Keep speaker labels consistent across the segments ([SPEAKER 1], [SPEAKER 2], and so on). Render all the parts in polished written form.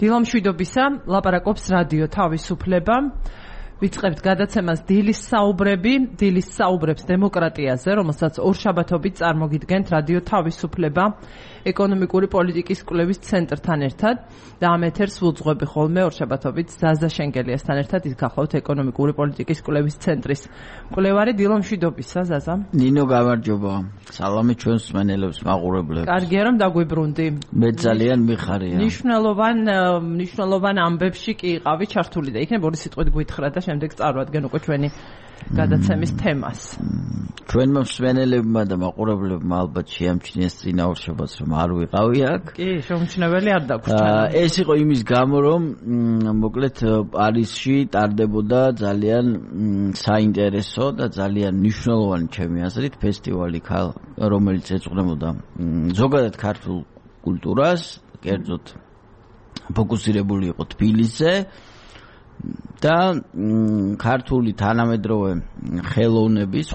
[SPEAKER 1] დილომშვიდობისა, ლაპარაკობს რადიო თავისუფლება. ვიწყებთ გადაცემას დილის საუბრებს დემოკრატიაზე, რომელსაც ორშაბათობით წარმოგიდგენთ რადიო თავისუფლება ეკონომიკური პოლიტიკის კვლევის ცენტრთან ერთად და ამ ეთერს ვუძღვები ხოლმე ორშაბათობით ზაზა შენგელიასთან ერთად. ის გახლავთ ეკონომიკური პოლიტიკის კვლევის ცენტრის მკვლევარი. დილომშვიდობისა, ზაზა.
[SPEAKER 2] ნინო, გამარჯობა. სალამი ჩვენს მსმენელებს, მაყურებლებს.
[SPEAKER 1] კარგია რომ დაგვიბრუნდი.
[SPEAKER 2] მე ძალიან მიხარია.
[SPEAKER 1] მნიშვნელოვან ამბებში კი იყავი ჩართული და იქნებ ორი სიტყვით გვითხრა და შემდეგ წარვადგენ უკვე ჩვენი გადაცემის თემას.
[SPEAKER 2] ჩვენმა მსმენელებმა და მაყურებლებმა ალბათ შეამჩნიეს წინა ორშაბათს რომ არ ვიყავი აქ.
[SPEAKER 1] კი, შეუმჩნეველი არ დაგვრჩა.
[SPEAKER 2] ეს იყო იმის გამო რომ მოკლედ პარიზში ტარდებოდა ძალიან საინტერესო და ძალიან მნიშვნელოვანი ჩემი აზრით ფესტივალი, რომელიც ეძღვნებოდა ზოგადად ქართულ კულტურას, კერძოდ ფოკუსირებული იყო თბილისზე. და ქართული თანამედროვე ხელოვნების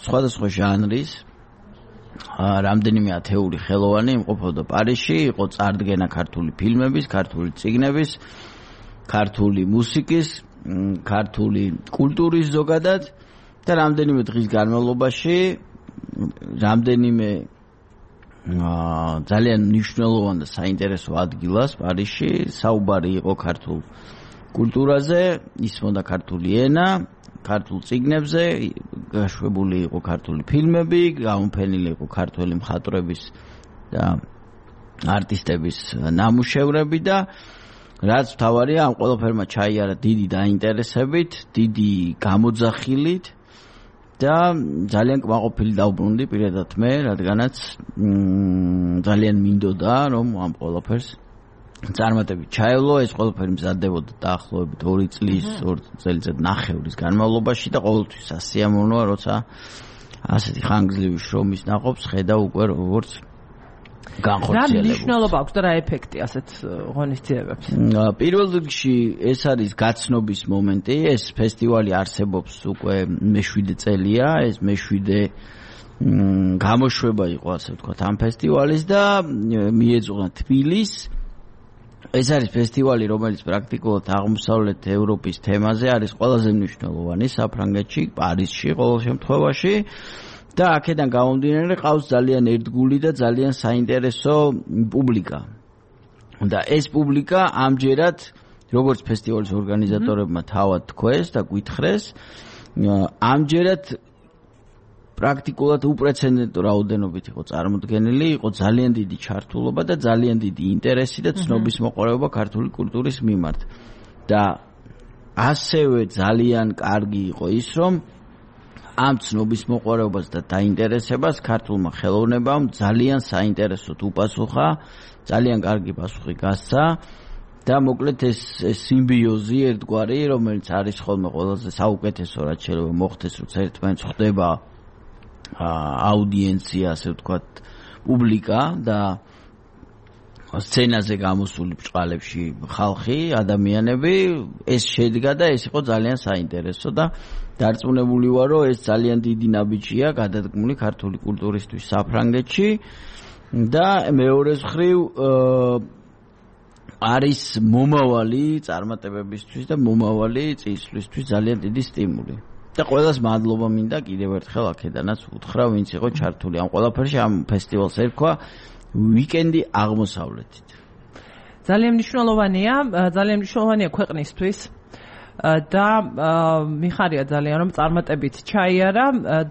[SPEAKER 2] სხვადასხვა ჟანრის რამდენიმე ათეული ხელოვანი იმყოფოდა პარიზში, იყო წარდგენა ქართული ფილმების, ქართული წიგნების, ქართული მუსიკის, ქართული კულტურის ზოგადად და რამდენიმე დღის განმავლობაში რამდენიმე ძალიან მნიშვნელოვან და საინტერესო ადგილას პარიზში საუბარი იყო ქართულ კულტურაზე, ისმოდა ქართული ენა, ქართულ წიგნებზე, გაშვებული იყო ქართული ფილმები, გამოფენილი იყო ქართველი მხატვრების და არტისტების ნამუშევრები და რაც მთავარია, ამ ყველაფერმა ჩაიარა დიდი დაინტერესებით, დიდი გამოძახილით და ძალიან კმაყოფილი დავბრუნდი პირადად მე, რადგანაც ძალიან მინდოდა რომ ამ ყველაფერს წარმატებით ჩაევლო. ეს ყველაფერი მზადდებოდა დაახლოებით 2 წელიწად ნახევრის განმავლობაში და ყოველთვის ასიამოვნოა, როცა ასეთი ხანგრძლივი შრომის ნაყოფს ხედავ უკვე როგორც განხორციელებულს.
[SPEAKER 1] რა მნიშვნელობა აქვს და რა ეფექტი ასეთ ღონისძიებებს?
[SPEAKER 2] პირველ რიგში ეს არის გაცნობის მომენტი. ეს ფესტივალი არსებობს უკვე მე-7 წელია. ეს მე-7 გამოშვება იყო, ასე ვთქვათ, ამ ფესტივალის და მიეძღვნა თბილისს. ეს არის ფესტივალი, რომელიც პრაქტიკულად აღმოსავლეთ ევროპის თემაზე არის ყველაზე მნიშვნელოვანი საფრანგეთში, პარიზში ყოველ შემთხვევაში და აქედან გამომდინარე ყავს ძალიან ერთგული და ძალიან საინტერესო პუბლიკა. და ეს პუბლიკა ამჯერად, როგორც ფესტივალის ორგანიზატორებმა თავად თქვეს და გვითხრეს, ამჯერად პრაქტიკულად უპრეცედენტო რაოდენობით იყო წარმოდგენილი, იყო ძალიან დიდი ჩართულობა და ძალიან დიდი ინტერესი და ცნობის მოყოლება ქართული კულტურის მიმართ. და ასევე ძალიან კარგი იყო ის, რომ ამ ცნობის მოყოლებას და დაინტერესებას ქართულმა ხელოვნებამ ძალიან საინტერესოდ უპასუხა, ძალიან კარგი პასუხი გასცა და მოკლედ ეს სიმბიოზი ერთგვარი, რომელიც არის ხოლმე ყველაზე საუკეთესო, რაც შეიძლება მოხდეს, როცა ერთმანეთს ხვდება აუდიენცია, ასე ვთქვათ, პუბლიკა და სცენაზე გამოსული ბჭყალებში ხალხი, ადამიანები, ეს შედგა და ეს იყო ძალიან საინტერესო და დარწმუნებული ვარ, რომ ეს ძალიან დიდი ნაბიჯია გადადგმული ქართული კულტურისთვის საფრანგეთში და მეორე მხრივ არის მომავალი წარმატებებისთვის და მომავალი წინსვლისთვის ძალიან დიდი სტიმული. და ყველას მადლობა მინდა კიდევ ერთხელ აქედანაც უთხრა, ვინც იყო ჩართული ამ ყველაფერში. ამ ფესტივალს ერქვა ვიკენდი აღმოსავლეთით.
[SPEAKER 1] ძალიან მნიშვნელოვანია ქვეყნისთვის და მიხარია ძალიან რომ წარმატებით ჩაიარა.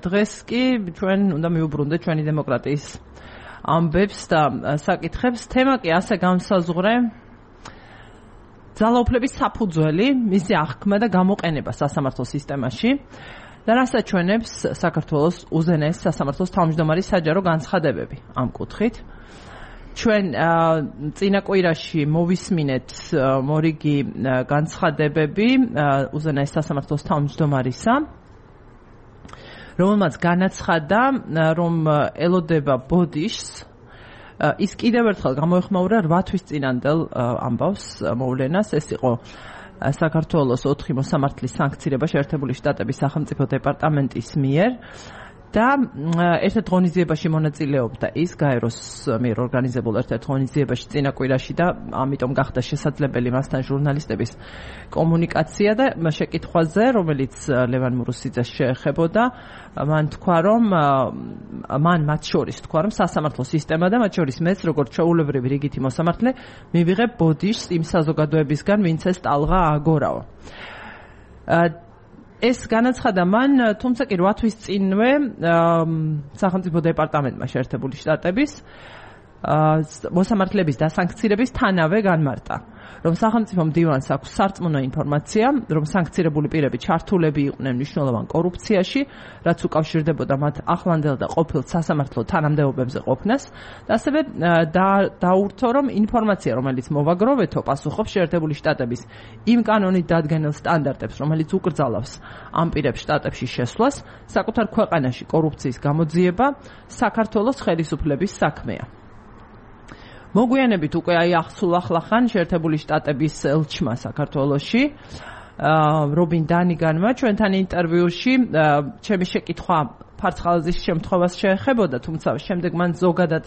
[SPEAKER 1] დღეს კი ჩვენ უნდა მივუბრუნდეთ ჩვენი დემოკრატიის ამბებს და საკითხებს. თემა კი ასე განსაზღვრე ძალაუფლების საფუძველი, მისი აღქმა და გამოყენება სასამართლო სისტემაში და რასაც ჩვენებს საქართველოს უზენაეს სასამართლოს თავმჯდომარის საჯარო განცხადებები ამ კუთხით. ჩვენ წინა კვირაში მოვისმინეთ მორიგი განცხადებები უზენაეს სასამართლოს თავმჯდომარისა, რომელმაც განაცხადა, რომ ელოდება ბოდიშს ის კიდევ ერთხელ გამოეხმაურა 8 თვის წინანდელ ამბავს მოვლენას. ეს იყო საქართველოს 4 მოსამართლის სანქცირება შეერთებული შტატების სახელმწიფო დეპარტამენტის მიერ და ერთ-ერთ ღონისძიებაში მონაწილეობდა ის გაეროს მიერ ორგანიზებულ ერთ-ერთ ღონისძიებაში წინა კვირაში და ამიტომ გახდა შესაძლებელი მასთან ჟურნალისტების კომუნიკაცია და შეკითხვაზე, რომელიც ლევან მურუსიძეს შეეხებოდა, მან თქვა, რომ მათ შორის თქვა, რომ სასამართლო სისტემა და მათ შორის მეც, როგორც ჩვეულებრივი რიგითი მოსამართლე, მივიღებ ბოდიშს იმ საზოგადოებისგან, ვინც ეს ტალღა ააგორაო. ეს განაცხადა მან, თუმცა კი 8 თვის წინვე სახელმწიფო დეპარტამენტმა შეერთებული შტატების მოსამართლეების დასანქცირების თანავე განმარტა, რომ სახელმწიფო მდივანს აქვს სარწმუნო ინფორმაცია, რომ санქცირებული პირები ჩართულები იყვნენ მნიშვნელოვან კორუფციაში, რაც უკავშირდებოდა მათ ახლანდელ და ყოფილ სასამართლო თანამდებობებზე ყოფნას, და ასევე დაურთო, რომ ინფორმაცია, რომელიც მოვაგროვეთო, პასუხობს შეერთებული შტატების იმ კანონით დადგენილ სტანდარტებს, რომელიც უკრძალავს ამ პირებს შტატებში შესვლას, საკუთარ ქვეყანაში კორუფციის გამოძიება საქართველოს ხელისუფლების საქმეა. მოგვიანებით უკვე სულ ახლახან შეერთებული შტატების ელჩმა საქართველოში რობინ დანიგანმა ჩვენთან ინტერვიუში ჩემი შეკითხვა ფარცხალაძის შემთხვევას შეეხებოდა, თუმცა შემდეგ მან ზოგადად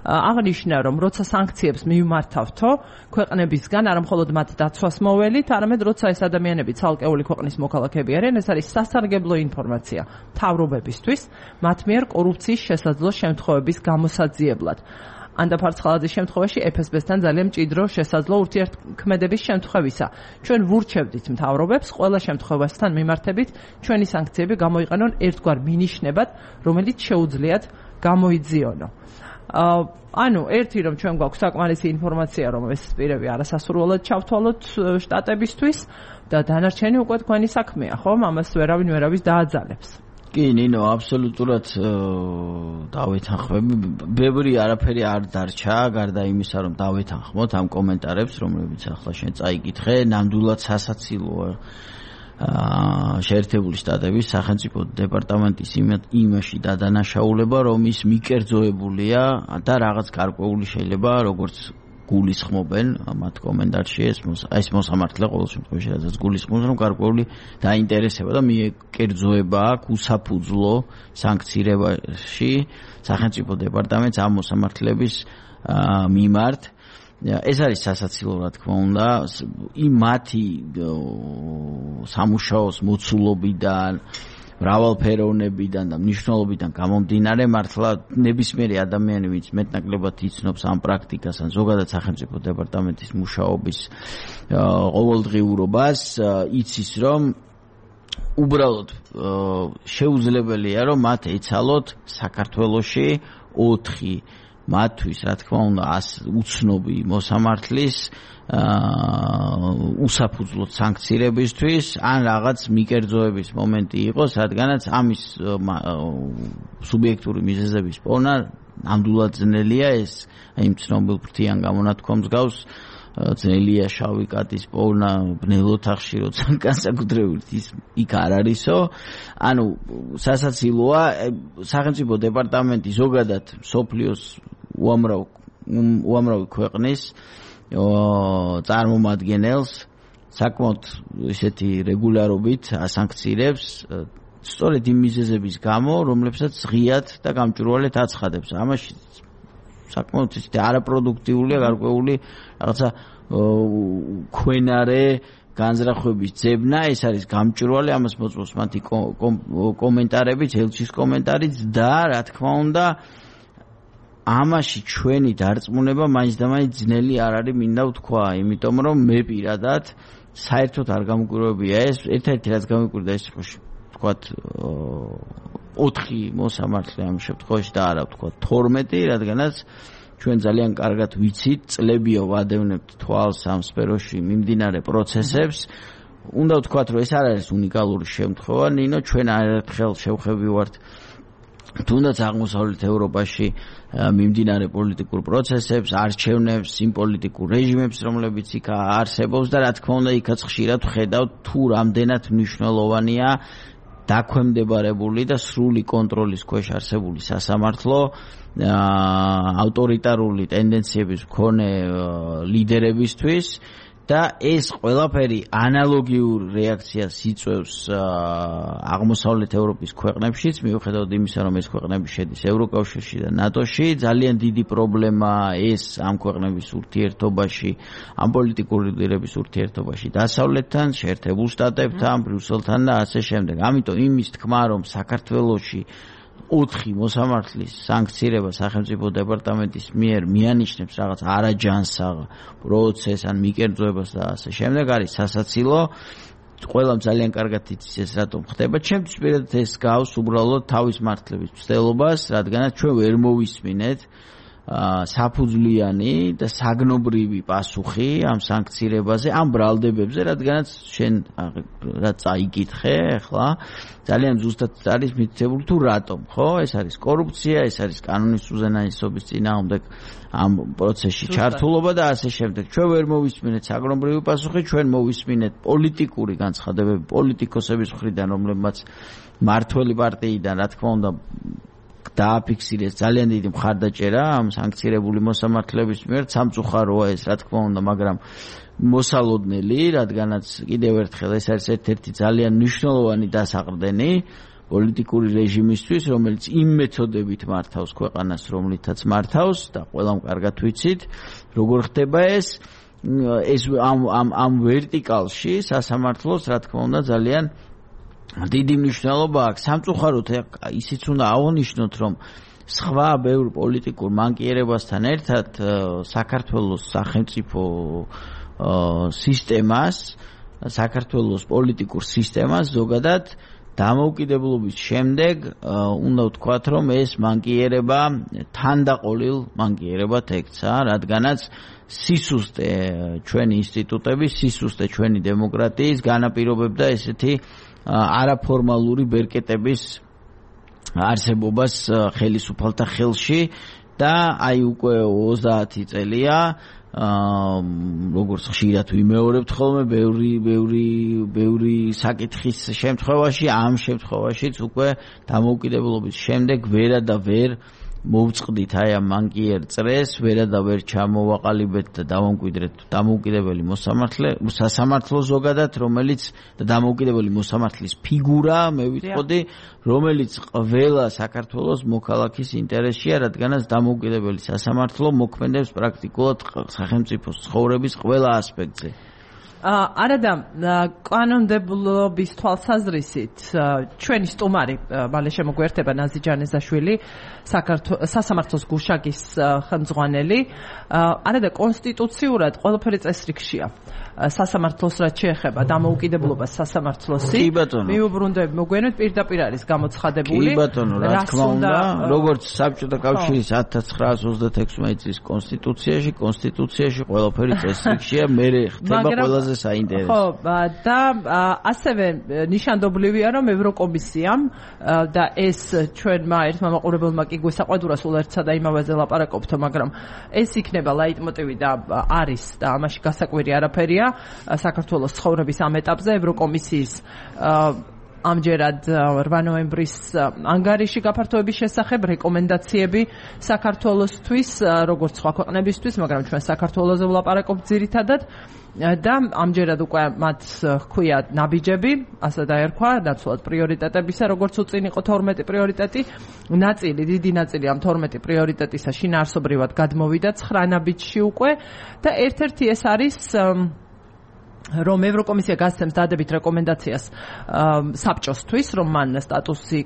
[SPEAKER 1] აღნიშნა, რომ როცა სანქციებს მივმართავთო ქვეყნებისგან, არა მხოლოდ მათ დაცვას მოველით, არამედ როცა ეს ადამიანები ცალკეული ქვეყნის მოქალაქეები არიან, ეს არის სასარგებლო ინფორმაცია მთავრობებისთვის მათ მიერ კორუფციის შესაძლო შემთხვევების გამოსაძიებლად. ანდა ფარცხალაძის შემთხვევაში FSB-თან ძალიან მჭიდრო შესაძლო ურთიერთქმედების შემთხვევისა. ჩვენ ვურჩევდით მთავრობებს ყველა შემთხვევასთან მიმართებით ჩვენი სანქციები გამოიყენონ ერთგვარ მინიშნებად, რომელიც შეუძლიათ გამოიძიონო. ანუ ერთი რომ ჩვენ გვაქვს საკმარისი ინფორმაცია, რომ ეს პირები არასასურველად ჩავთვალოთ შტატებისთვის და დანარჩენი უკვე თქვენი საქმეა, ხომ? ამას ვერავის დააძალებს.
[SPEAKER 2] კი, ნინო, აბსოლუტურად დავეთანხმები. ბევრი არაფერი არ დარჩა, გარდა იმისა, რომ დავეთანხმოთ ამ კომენტარებს, რომლებიც ახლა შენ წაიკითხე, ნამდვილად სასაცილოა შეერთებული შტატების სახელმწიფო დეპარტამენტის იმაში დადანაშაულება, რომ ის მიკერძოებულია და რაღაც გარკვეული შეიძლება როგორც გულისხმობენ მათ კომენტარში ეს მოსამართლე ყოველ შემთხვევაში რაც გულისხმობს, რომ გარკვეული დაინტერესება და მიკერძოება აქვს უსაფუძვლო სანქცირებაში სახელმწიფო დეპარტამენტს ამ მოსამართლეების მიმართ. ეს არის სასაცილო, რა თქმა უნდა, იმ მათი სამუშაოს მოცულობიდან, მრავალფეროვნებიდან და მნიშვნელობიდან გამომდინარე, მართლა ნებისმიერი ადამიანი, ვინც მეტნაკლებად იცნობს ამ პრაქტიკას, ან ზოგადად სახელმწიფო დეპარტამენტის მუშაობის ყოველდღიურობას, იცის, რომ უბრალოდ შეუძლებელია, რომ მათ ეცალოთ საქართველოში 4 მათთვის, რა თქმა უნდა, უცნობი მოსამართლის უსაფუძვლოდ სანქცირებისთვის, ან რაღაც მიკერძოების მომენტი იყოს, რადგანაც ამის სუბიექტური მიზეზების პოვნა ნამდვილად ძნელია, ეს იმ ცნობილ ფრთიან გამონათქვამს გავს, ძნელია შავი კატის პოვნა ბნელ ოთახში, როცა განსაკუთრებით ის იქ არ არისო. ანუ სასაცილოა, სახელმწიფო დეპარტამენტი ზოგადად მსოფლიოს უამრავი ქვეყნის წარმომადგენელს საკმაოდ ისეთი რეგულარობით ასანქცირებს, სწორედ იმ მიზეზების გამო, რომლებსაც ღიად და გამჭვირვალედ აცხადებს. ამაში საკმაოდ ისეთი არაპროდუქტიულია გარკვეული რაღაცა ქვენარე განზრახვების ძებნა, ეს არის გამჭვირვალე, ამას მოწმობს მათი კომენტარებიც, ელჩის კომენტარიც და რა თქმა უნდა ამაში ჩვენი დარწმუნება მაინც და მაინც ძნელი არ არის, მინდა ვთქვა, იმიტომ რომ მე პირადად საერთოდ არ გამკვირვებია ეს, ერთ-ერთი რაც გამკვირდა ეს ვთქვათ 4 მოსამართლე ამ შემთხვევაში და არა ვთქვათ 12, რადგანაც ჩვენ ძალიან კარგად ვიცით, წლებია ვადევნებთ თვალს ამ სფეროში მიმდინარე პროცესებს. უნდა ვთქვათ, რომ ეს არ არის უნიკალური შემთხვევა, ნინო, ჩვენ არერთხელ შევხვევი ვართ თუნდაც აღმოსავლეთ ევროპაში მიმდინარე პოლიტიკურ პროცესებს, არჩევნებს, იმ პოლიტიკურ რეჟიმებს, რომლებიც იქ არსებობს და რა თქმა უნდა, იქაც ხშირად ვხედავთ თუ რამდენად მნიშვნელოვანია დაქვემდებარებული და სრული კონტროლის ქვეშ არსებული სასამართლო ავტორიტარული ტენდენციების მქონე ლიდერებისთვის და ეს ყველაფერი ანალოგიურ რეაქციას იწვევს აღმოსავლეთ ევროპის ქვეყნებშიც, მიუხედავად იმისა, რომ ეს ქვეყნები შედის ევროკავშირში და ნატოში, ძალიან დიდი პრობლემაა ეს ამ ქვეყნების ურთიერთობაში, ამ პოლიტიკური ლიდერების ურთიერთობაში დასავლეთთან, შეერთებულ შტატებთან, ბრიუსელთან და ასე შემდეგ. ამიტომ იმის თქმა, რომ საქართველოში 4 მოსამართლის სანქცირება სახელმწიფო დეპარტამენტის მიერ მიანიშნებს რაღაც არაჯანსაღ პროცესს ან მიკერძოებას და ასე შემდეგ არის სასაცილო. ყველამ ძალიან კარგად იცის ეს რატომ ხდება. ჩემთვის პირადად ეს გავს უბრალოდ თავის მართლების მცდელობას, რადგანაც ჩვენ ვერ მოვისმინეთ საფუძვლიანი და საგნობრივი პასუხი ამ სანქცირებაზე, ამ ბრალდებებზე, რადგანაც შენ რა წაიკითხე ახლა ძალიან ზუსტად არის მითითებული თუ რატომ, ხო? ეს არის კორუფცია, ეს არის კანონის უზენაესობის წინააღმდეგ ამ პროცესში ჩართულობა და ასე შემდეგ. ჩვენ ვერ მოვისმინეთ საგნობრივი პასუხი, ჩვენ მოვისმინეთ პოლიტიკური განცხადებები პოლიტიკოსების მხრიდან, რომლებმაც მართველი პარტიიდან, რა თქმა უნდა, დააფიქსირეს ძალიან დიდი მხარდაჭერა ამ სანქცირებული მოსამართლეების მიერ. სამწუხაროა ეს, რა თქმა უნდა, მაგრამ მოსალოდნელი, რადგანაც კიდევ ერთხელ ეს არის ერთ-ერთი ძალიან მნიშვნელოვანი დასაყრდენი პოლიტიკური რეჟიმისთვის, რომელიც იმ მეთოდებით მართავს ქვეყანას, რომლითაც მართავს და ყველამ კარგად ვიცით, როგორ ხდება ეს ამ ვერტიკალში სასამართლოს, რა თქმა უნდა, ძალიან დიდი მნიშვნელობა აქვს. სამწუხაროდ ისიც უნდა აღნიშნოთ, რომ სხვა ბევრ პოლიტიკურ მანკიერებასთან ერთად საქართველოს სახელმწიფო სისტემას, საქართველოს პოლიტიკურ სისტემას ზოგადად დამოუკიდებლობის შემდეგ უნდა ვთქვათ, რომ ეს მანკიერება თანდაყოლილ მანკიერებად ექცა, რადგანაც სისუსტე ჩვენი ინსტიტუტების, სისუსტე ჩვენი დემოკრატიის განაპირობებდა ესეთი არაფორმალური ბერკეტების არსებობას ხელისუფალთა ხელში და აი უკვე 30 წელია როგორც ხშირად ვიმეორებთ ხოლმე ბევრი საკითხის შემთხვევაში, ამ შემთხვევაშიც უკვე დამოუკიდებლობის შემდეგ ვერა და ვერ მოვწყდით აი ამ მანკიერ წრეს, ვერა და ვერ ჩამოვაყალიბეთ და დავამკვიდრეთ დამოუკიდებელი სასამართლო ზოგადად, რომელიც და დამოუკიდებელი მოსამართლის ფიგურა, მე ვიტყოდი, რომელიც ყველა საქართველოს მოქალაქის ინტერესია, რადგანაც დამოუკიდებელი სასამართლო მოქმედებს პრაქტიკულად სახელმწიფოს ცხოვრების ყველა ასპექტზე.
[SPEAKER 1] არადა კანონმდებლობის თვალსაზრისით ჩვენი სტუმარი მალე შემოგვერთება ნაზი ჯანეზაშვილი, სასამართლოს გუშაგის ხელმძღვანელი. არადა კონსტიტუციურად ყველაფერი წესრიგშია. სასამართლოს რაც შეეხება დამოუკიდებლობას სასამართლოსი, მიუბრუნდები მოგვიანებით პირდაპირ არის გამოცხადებული.
[SPEAKER 2] კი ბატონო, რა თქმა უნდა, როგორც საბჭოთა კავშირის 1936 წლის კონსტიტუციაში ყველაფერი წესრიგშია, მე ხდება ყველაზე საინტერესო. ხო, და ასევე ნიშანდობლივია, რომ ევროკომისიამ და ეს ჩვენმა ერთმა მაყურებელმა კი გვესაყვედურა სულ ერთსა და იმავეზე ლაპარაკობთ, მაგრამ ეს იქნება ლაიტმოტივი და არის და ამაში გასაკვირი არაფერია. საქართველოს ცხოვრების ამ ეტაპზე ევროკომისიის ამჯერად 8 ნოემბრის ანგარიში გაფართოების შესახებ რეკომენდაციები საქართველოსთვის, როგორც სხვა ქვეყნებისთვის, მაგრამ ჩვენ საქართველოზე ვლაპარაკობთ ძირითადად და ამჯერად უკვე მათ ჰქვია ნაბიჯები, ასე დაერქვა, ნაცვლად პრიორიტეტებისა, როგორც უწინ იყო 12 პრიორიტეტი, დიდი ნაწილი ამ 12 პრიორიტეტისა შინაარსობრივად გადმოვიდა 9 ნაბიჯში უკვე და ერთ-ერთი ეს არის რომ ევროკომისია გასცემს დადებით რეკომენდაციას საბჭოსთვის, რომ მან სტატუსი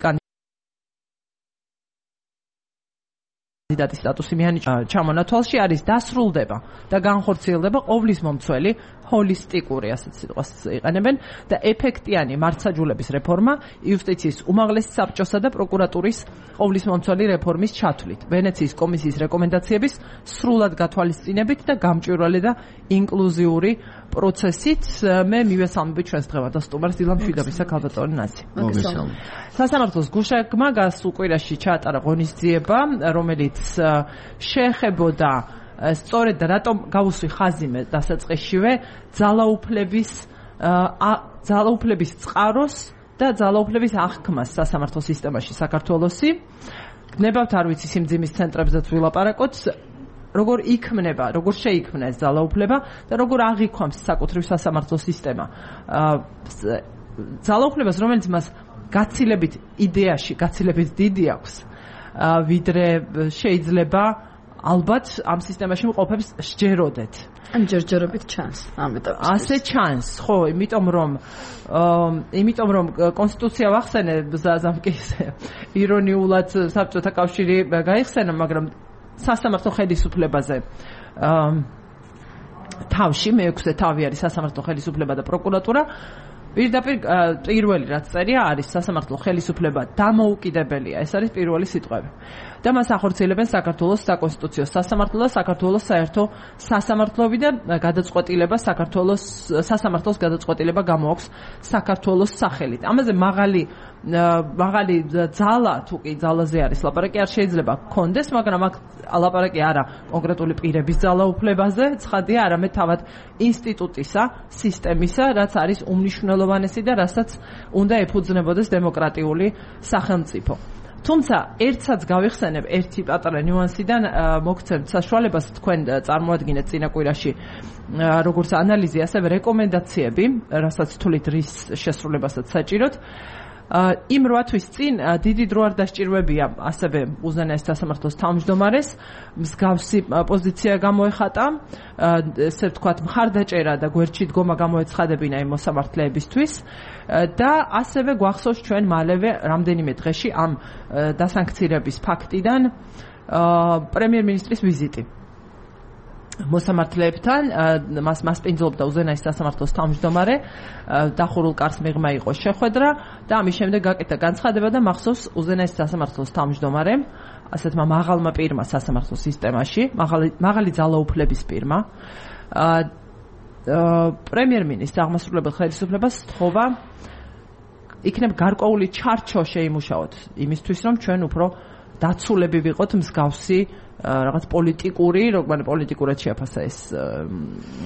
[SPEAKER 2] კანდიდატის სტატუსი მიანიჭა ჩამონათვალში, არის დასრულდება და განხორციელდება ყოვლის მომცველი ჰოლისტიკური, ასეთ სიტყვას იყენებენ, და ეფექტიანი მართლმსაჯულების რეფორმა იუსტიციის უმაღლესი საბჭოსა და პროკურატურის ყოვლის მომცველი რეფორმის ჩათვლით, ვენეციის კომისიის რეკომენდაციების სრულად გათვალისწინებით და გამჭვირვალე და ინკლუზიური პროცესით. მე მივესალმები ჩვენს დღევანდელ სტუმარს დილამ შვიდობისა ქალბატონი ნაზი. სასამართლოს გუშაგმა გასულ კვირაში ჩაატარა ღონისძიება, რომელიც შეეხებოდა სწორედ რატომ გავუსვი ხაზი მე დასაწყისშივე ძალაუფლების წყაროს და ძალაუფლების აღქმას სასამართლო სისტემაში საქართველოსი. გნებავთ არ ვიცი სიმძიმის ცენტრებზეც ვილაპარაკოთ.
[SPEAKER 1] როგორ იქმნება, როგორ შეიქმნა ეს ძალაუფლება და როგორ აღიქვამს საკუთრივ სასამართლო სისტემა. ძალაუფლებას, რომელიც მას გაცილებით იდეაში, გაცილებით დიდი აქვს, ვიდრე შეიძლება ალბათ ამ სისტემაში მყოფებს სჯეროდეთ.
[SPEAKER 3] ან ჯერჯერობით ჩანს ამ ეტაპში.
[SPEAKER 1] ასე ჩანს, ხო, იმიტომ რომ კონსტიტუცია ვახსენე ზამკის ირონიულად საბჭოთა კავშირი გაიხსენა, მაგრამ სასამართლო ხელისუფლებაზე თავში მე-6 თავი არის სასამართლო ხელისუფლება და პროკურატურა. პირდაპირ პირველი რაც წერია არის სასამართლო ხელისუფლება დამოუკიდებელია. ეს არის პირველი სიტყვები. და მას ახორციელებენ საქართველოს საკონსტიტუციო სასამართლო და საქართველოს საერთო სასამართლოები და გადაწყვეტილება სასამართლოს გადაწყვეტილება გამოაქვს საქართველოს სახელით. ამაზე მაღალი ძალა თუ კი ძალაზე არის ლაპარაკი არ შეიძლება გქონდეს, მაგრამ აქ ლაპარაკი არა კონკრეტული პირების ძალაუფლებაზე, ცხადია, არამედ თავად ინსტიტუტისა, სისტემისა, რაც არის უმნიშვნელოვანესი და რასაც უნდა ეფუძნებოდეს დემოკრატიული სახელმწიფო. თუმცა ერთსაც გავიხსენებ ერთი პატარა ნიუანსიდან მოგცემთ საშუალებას თქვენ წარმოადგინეთ წინა კვირაში როგორც ანალიზი, ასევე რეკომენდაციები, რასაც თulit რის შესრულებასაც საჭიროთ. იმ 8 თვის წინ დიდი დრო არ დასჭირვებია ასევე უზენაეს სასამართლოს თავმჯდომარეს, მსგავსი პოზიცია გამოეხატა, ესე ვთქვათ, მხარდაჭერა და გვერდში დგომა გამოეცხადებინა იმ მოსამართლეებისთვის და ასევე გვახსოვს ჩვენ მალევე რამდენიმე დღეში ამ დასანქცირების ფაქტიდან პრემიერ-მინისტრის ვიზიტი. მოსამართლეებთან მას პინძლობდა უზენაეს სასამართლოს თავმჯდომარე, დახურულ კარს მიღმა იყო შეხვედრა და ამის შემდეგ გაკეთა განცხადება და მახსოვს უზენაეს სასამართლოს თავმჯდომარემ, ასეთმა მაღალმა პირმა სასამართლო სისტემაში, მაღალი ძალაუფლების პირმა, პრემიერ-მინისტრს აღმასრულებელ ხელისუფლებას სთხოვა იქნებ გარკვეული ჩარჩო შეიმუშაოთ იმისთვის, რომ ჩვენ უფრო დაცულები ვიყოთ მსგავსი რაღაც პოლიტიკურად შეაფასა ეს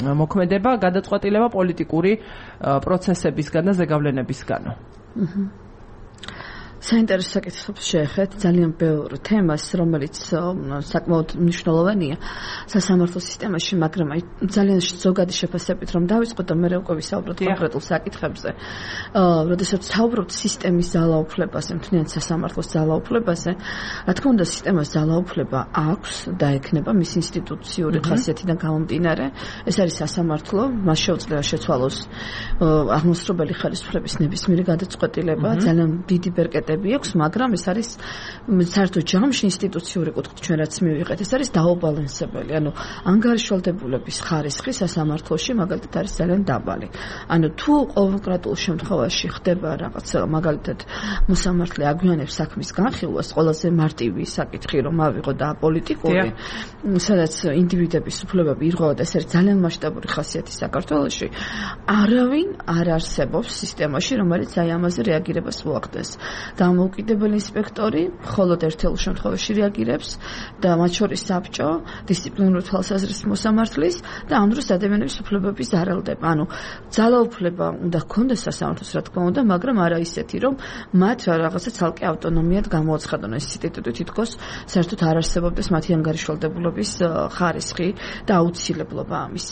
[SPEAKER 1] მოქმედება, გადაწყვეტილება პოლიტიკური პროცესებისგან და ზეგავლენებისგანო.
[SPEAKER 3] საინტერესო საკითხებს შეეხეთ ძალიან ბევრ თემას, რომელიც საკმაოდ მნიშვნელოვანია სასამართლო სისტემაში, მაგრამ ძალიან ზოგადი შეფასებით რომ დავიწყოთ და მე უკვე ვისაუბროთ კონკრეტულ საკითხებზე. როდესაც საუბრობთ სისტემის ძალაუფლებაზე, მთლიანად სასამართლოს ძალაუფლებაზე, რა თქმა უნდა, სისტემას ძალაუფლება აქვს და ექნება მის ინსტიტუციური ხასიათიდან გამომდინარე. ეს არის სასამართლო, მას შეუძლია შეცვალოს აღმასრულებელი ხელისუფლების ნებისმიერი გადაწყვეტილება, ძალიან დიდი ბერკეტი აქვს, მაგრამ ეს არის საერთო ჯამში ინსტიტუციური კუთხით ჩვენ რაც მივიღეთ, ეს არის დაუბალანსებელი. ანუ ანგარიშვალდებულების ხარისხი სასამართლოში მაგალითად არის ძალიან დაბალი. ანუ თუ კონკრეტულ შემთხვევაში ხდება რაღაცა, მაგალითად მოსამართლე აგვიანებს საქმის განხილვას, ყველაზე მარტივი საკითხი რომ ავიღო და პოლიტიკური, სადაც ინდივიდების უფლებები ირღვევა და ეს არის ძალიან მასშტაბური ხასიათი საქართველოში, არავინ არ არსებობს სისტემაში, რომელიც აი ამაზე რეაგირებას მოახდენს. დამოუკიდებელი ინსპექტორი მხოლოდ ერთეულ შემთხვევაში რეაგირებს და მათ შორის საბჭო, დისციპლინური თვალსაზრისით მოსამართლის და ამ დროს ადამიანების უფლებების არალდება. ანუ ძალაუფლება უნდა ჰქონდეს სასამართლოს, რა თქმა უნდა, მაგრამ არა ისეთი, რომ მათ რაღაცა ცალკე ავტონომიად გამოაცხადონ ეს ინსტიტუტი თითქოს საერთოდ არ არსებობდეს მათი ანგარიშვალდებულების ხარისხი და აუცილებლობა ამის.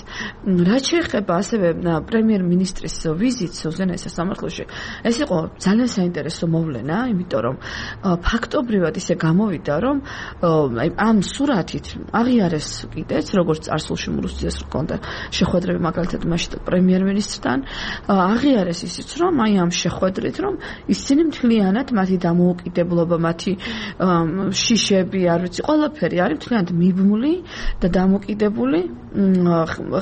[SPEAKER 3] რაც შეეხება ასევე პრემიერ-მინისტრის ვიზიტს უზენაეს სასამართლოში, ეს იყო ძალიან საინტერესო მოვლენა, იმიტომ რომ ფაქტობრივად ისე გამოვიდა, რომ ამ სურათით აღიარეს კიდეც, როგორც წარსულში მურუსციას ჰქონდა შეხვედრები მაგალითად მაშინ პრემიერ-მინისტრთან, აღიარეს ისიც, რომ აი ამ შეხვედრით, რომ ისინი მთლიანად მათი დამოუკიდებლობა, მათი შიშები, არ ვიცი, ყველაფერი არის მთლიანად მიბმული და დამოკიდებული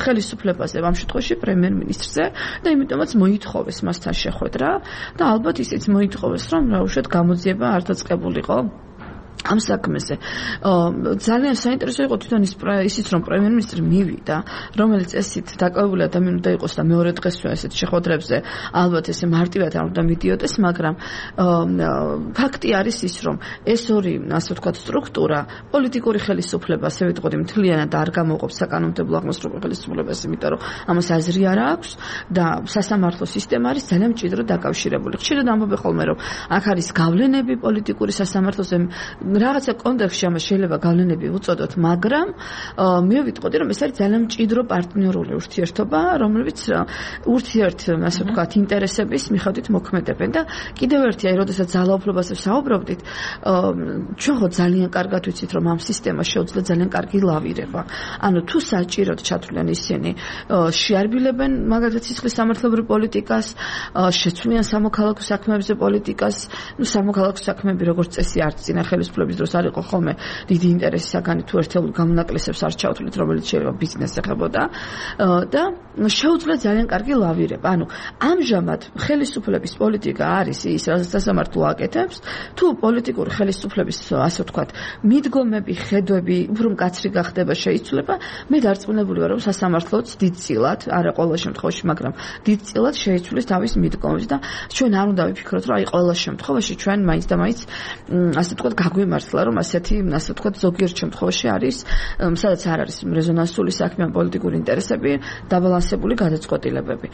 [SPEAKER 3] ხელისუფლებაზე, ამ შემთხვევაში პრემიერ-მინისტრზე და იმიტომაც მოითხოვეს მასთან შეხვედრა და ალბათ ისიც მოითხოვეს, რომ რა უშუალოდ გამოძიება არ დაწყებულიყო ამ საქმეზე. ძალიან საინტერესო იყო თვითონ ისიც, რომ პრემიერ-მინისტრი მივიდა, რომელიც ესეთ დაკავებული ადამიანი უნდა იყოს და მეორე დღესვე ესეთ შეხვედრებზე ალბათ ესე მარტივად არ უნდა მიდიოდეს, მაგრამ ფაქტი არის ის, რომ ეს ორი, ასე ვთქვათ, სტრუქტურა პოლიტიკური ხელისუფლება, ასე ვიტყოდი, მთლიანად არ გამოყოფს საკანონმდებლო აღმასრულებელ ხელისუფლებას, იმიტომ რომ ამას აზრი არ აქვს და სასამართლო სისტემა არის ძალიან მჭიდროდ დაკავშირებული. ხშირად ამბობენ ხოლმე, რომ აქ არის გავლენები პოლიტიკური სასამართლოზე, რაღაცა კონტექსტში ამას შეიძლება გავლენები უწოდოთ, მაგრამ მე ვიტყოდი, რომ ეს არის ძალიან მჭიდრო პარტნიორული ურთიერთობა, რომლებიც ურთიერთ, ასე ვთქვათ, ინტერესების მიხედვით მოქმედებენ და კიდევ ერთი, აი, როდესაც ძალაუფლებაზე საუბრობდით, ჩვენ ხო ძალიან კარგად ვიცით, რომ ამ სისტემას შეუძლია ძალიან კარგი ლავირება. ანუ თუ საჭიროდ ჩათვლიან ისინი, შეარბილებენ მაგალითად სისხლის სამართლებრივ პოლიტიკას, შეცვლიან სამოქალაქო საქმეებზე პოლიტიკას, სამოქალაქო საქმეები როგორც წესი არც წინა ხელისუფლების დროს არ იყო ხოლმე დიდი ინტერესი საგანი თუ ერთეულ გამონაკლისებს არ ჩავთვლით, რომელიც შეიძლება ბიზნესს ეხებოდა და შეუძლია ძალიან კარგი ლავირება. ანუ ამჟამად ხელისუფლების პოლიტიკა არის ის, რასაც სასამართლო აკეთებს, თუ პოლიტიკური ხელისუფლების, ასე ვთქვათ, მიდგომები, ხედვები უფრო მკაცრი გახდება, შეიცვლება, მე დარწმუნებული ვარ, რომ სასამართლოც დიდწილად, არა ყოველ შემთხვევაში, მაგრამ დიდწილად შეიცვლის თავის მიდგომებს და ჩვენ არ უნდა ვიფიქროთ, რომ აი ყოველ შემთხვევაში ჩვენ მაინც და მაინც ასე ვთქვათ, გაგვიმართლა, რომ ასეთი, ასე ვთქვათ, ზოგიერთ შემთხვევაში არის, სადაც არ არის რეზონანსული საქმე ან პოლიტიკური ინტერესები, დაბალანსებული გადაწყვეტილებები.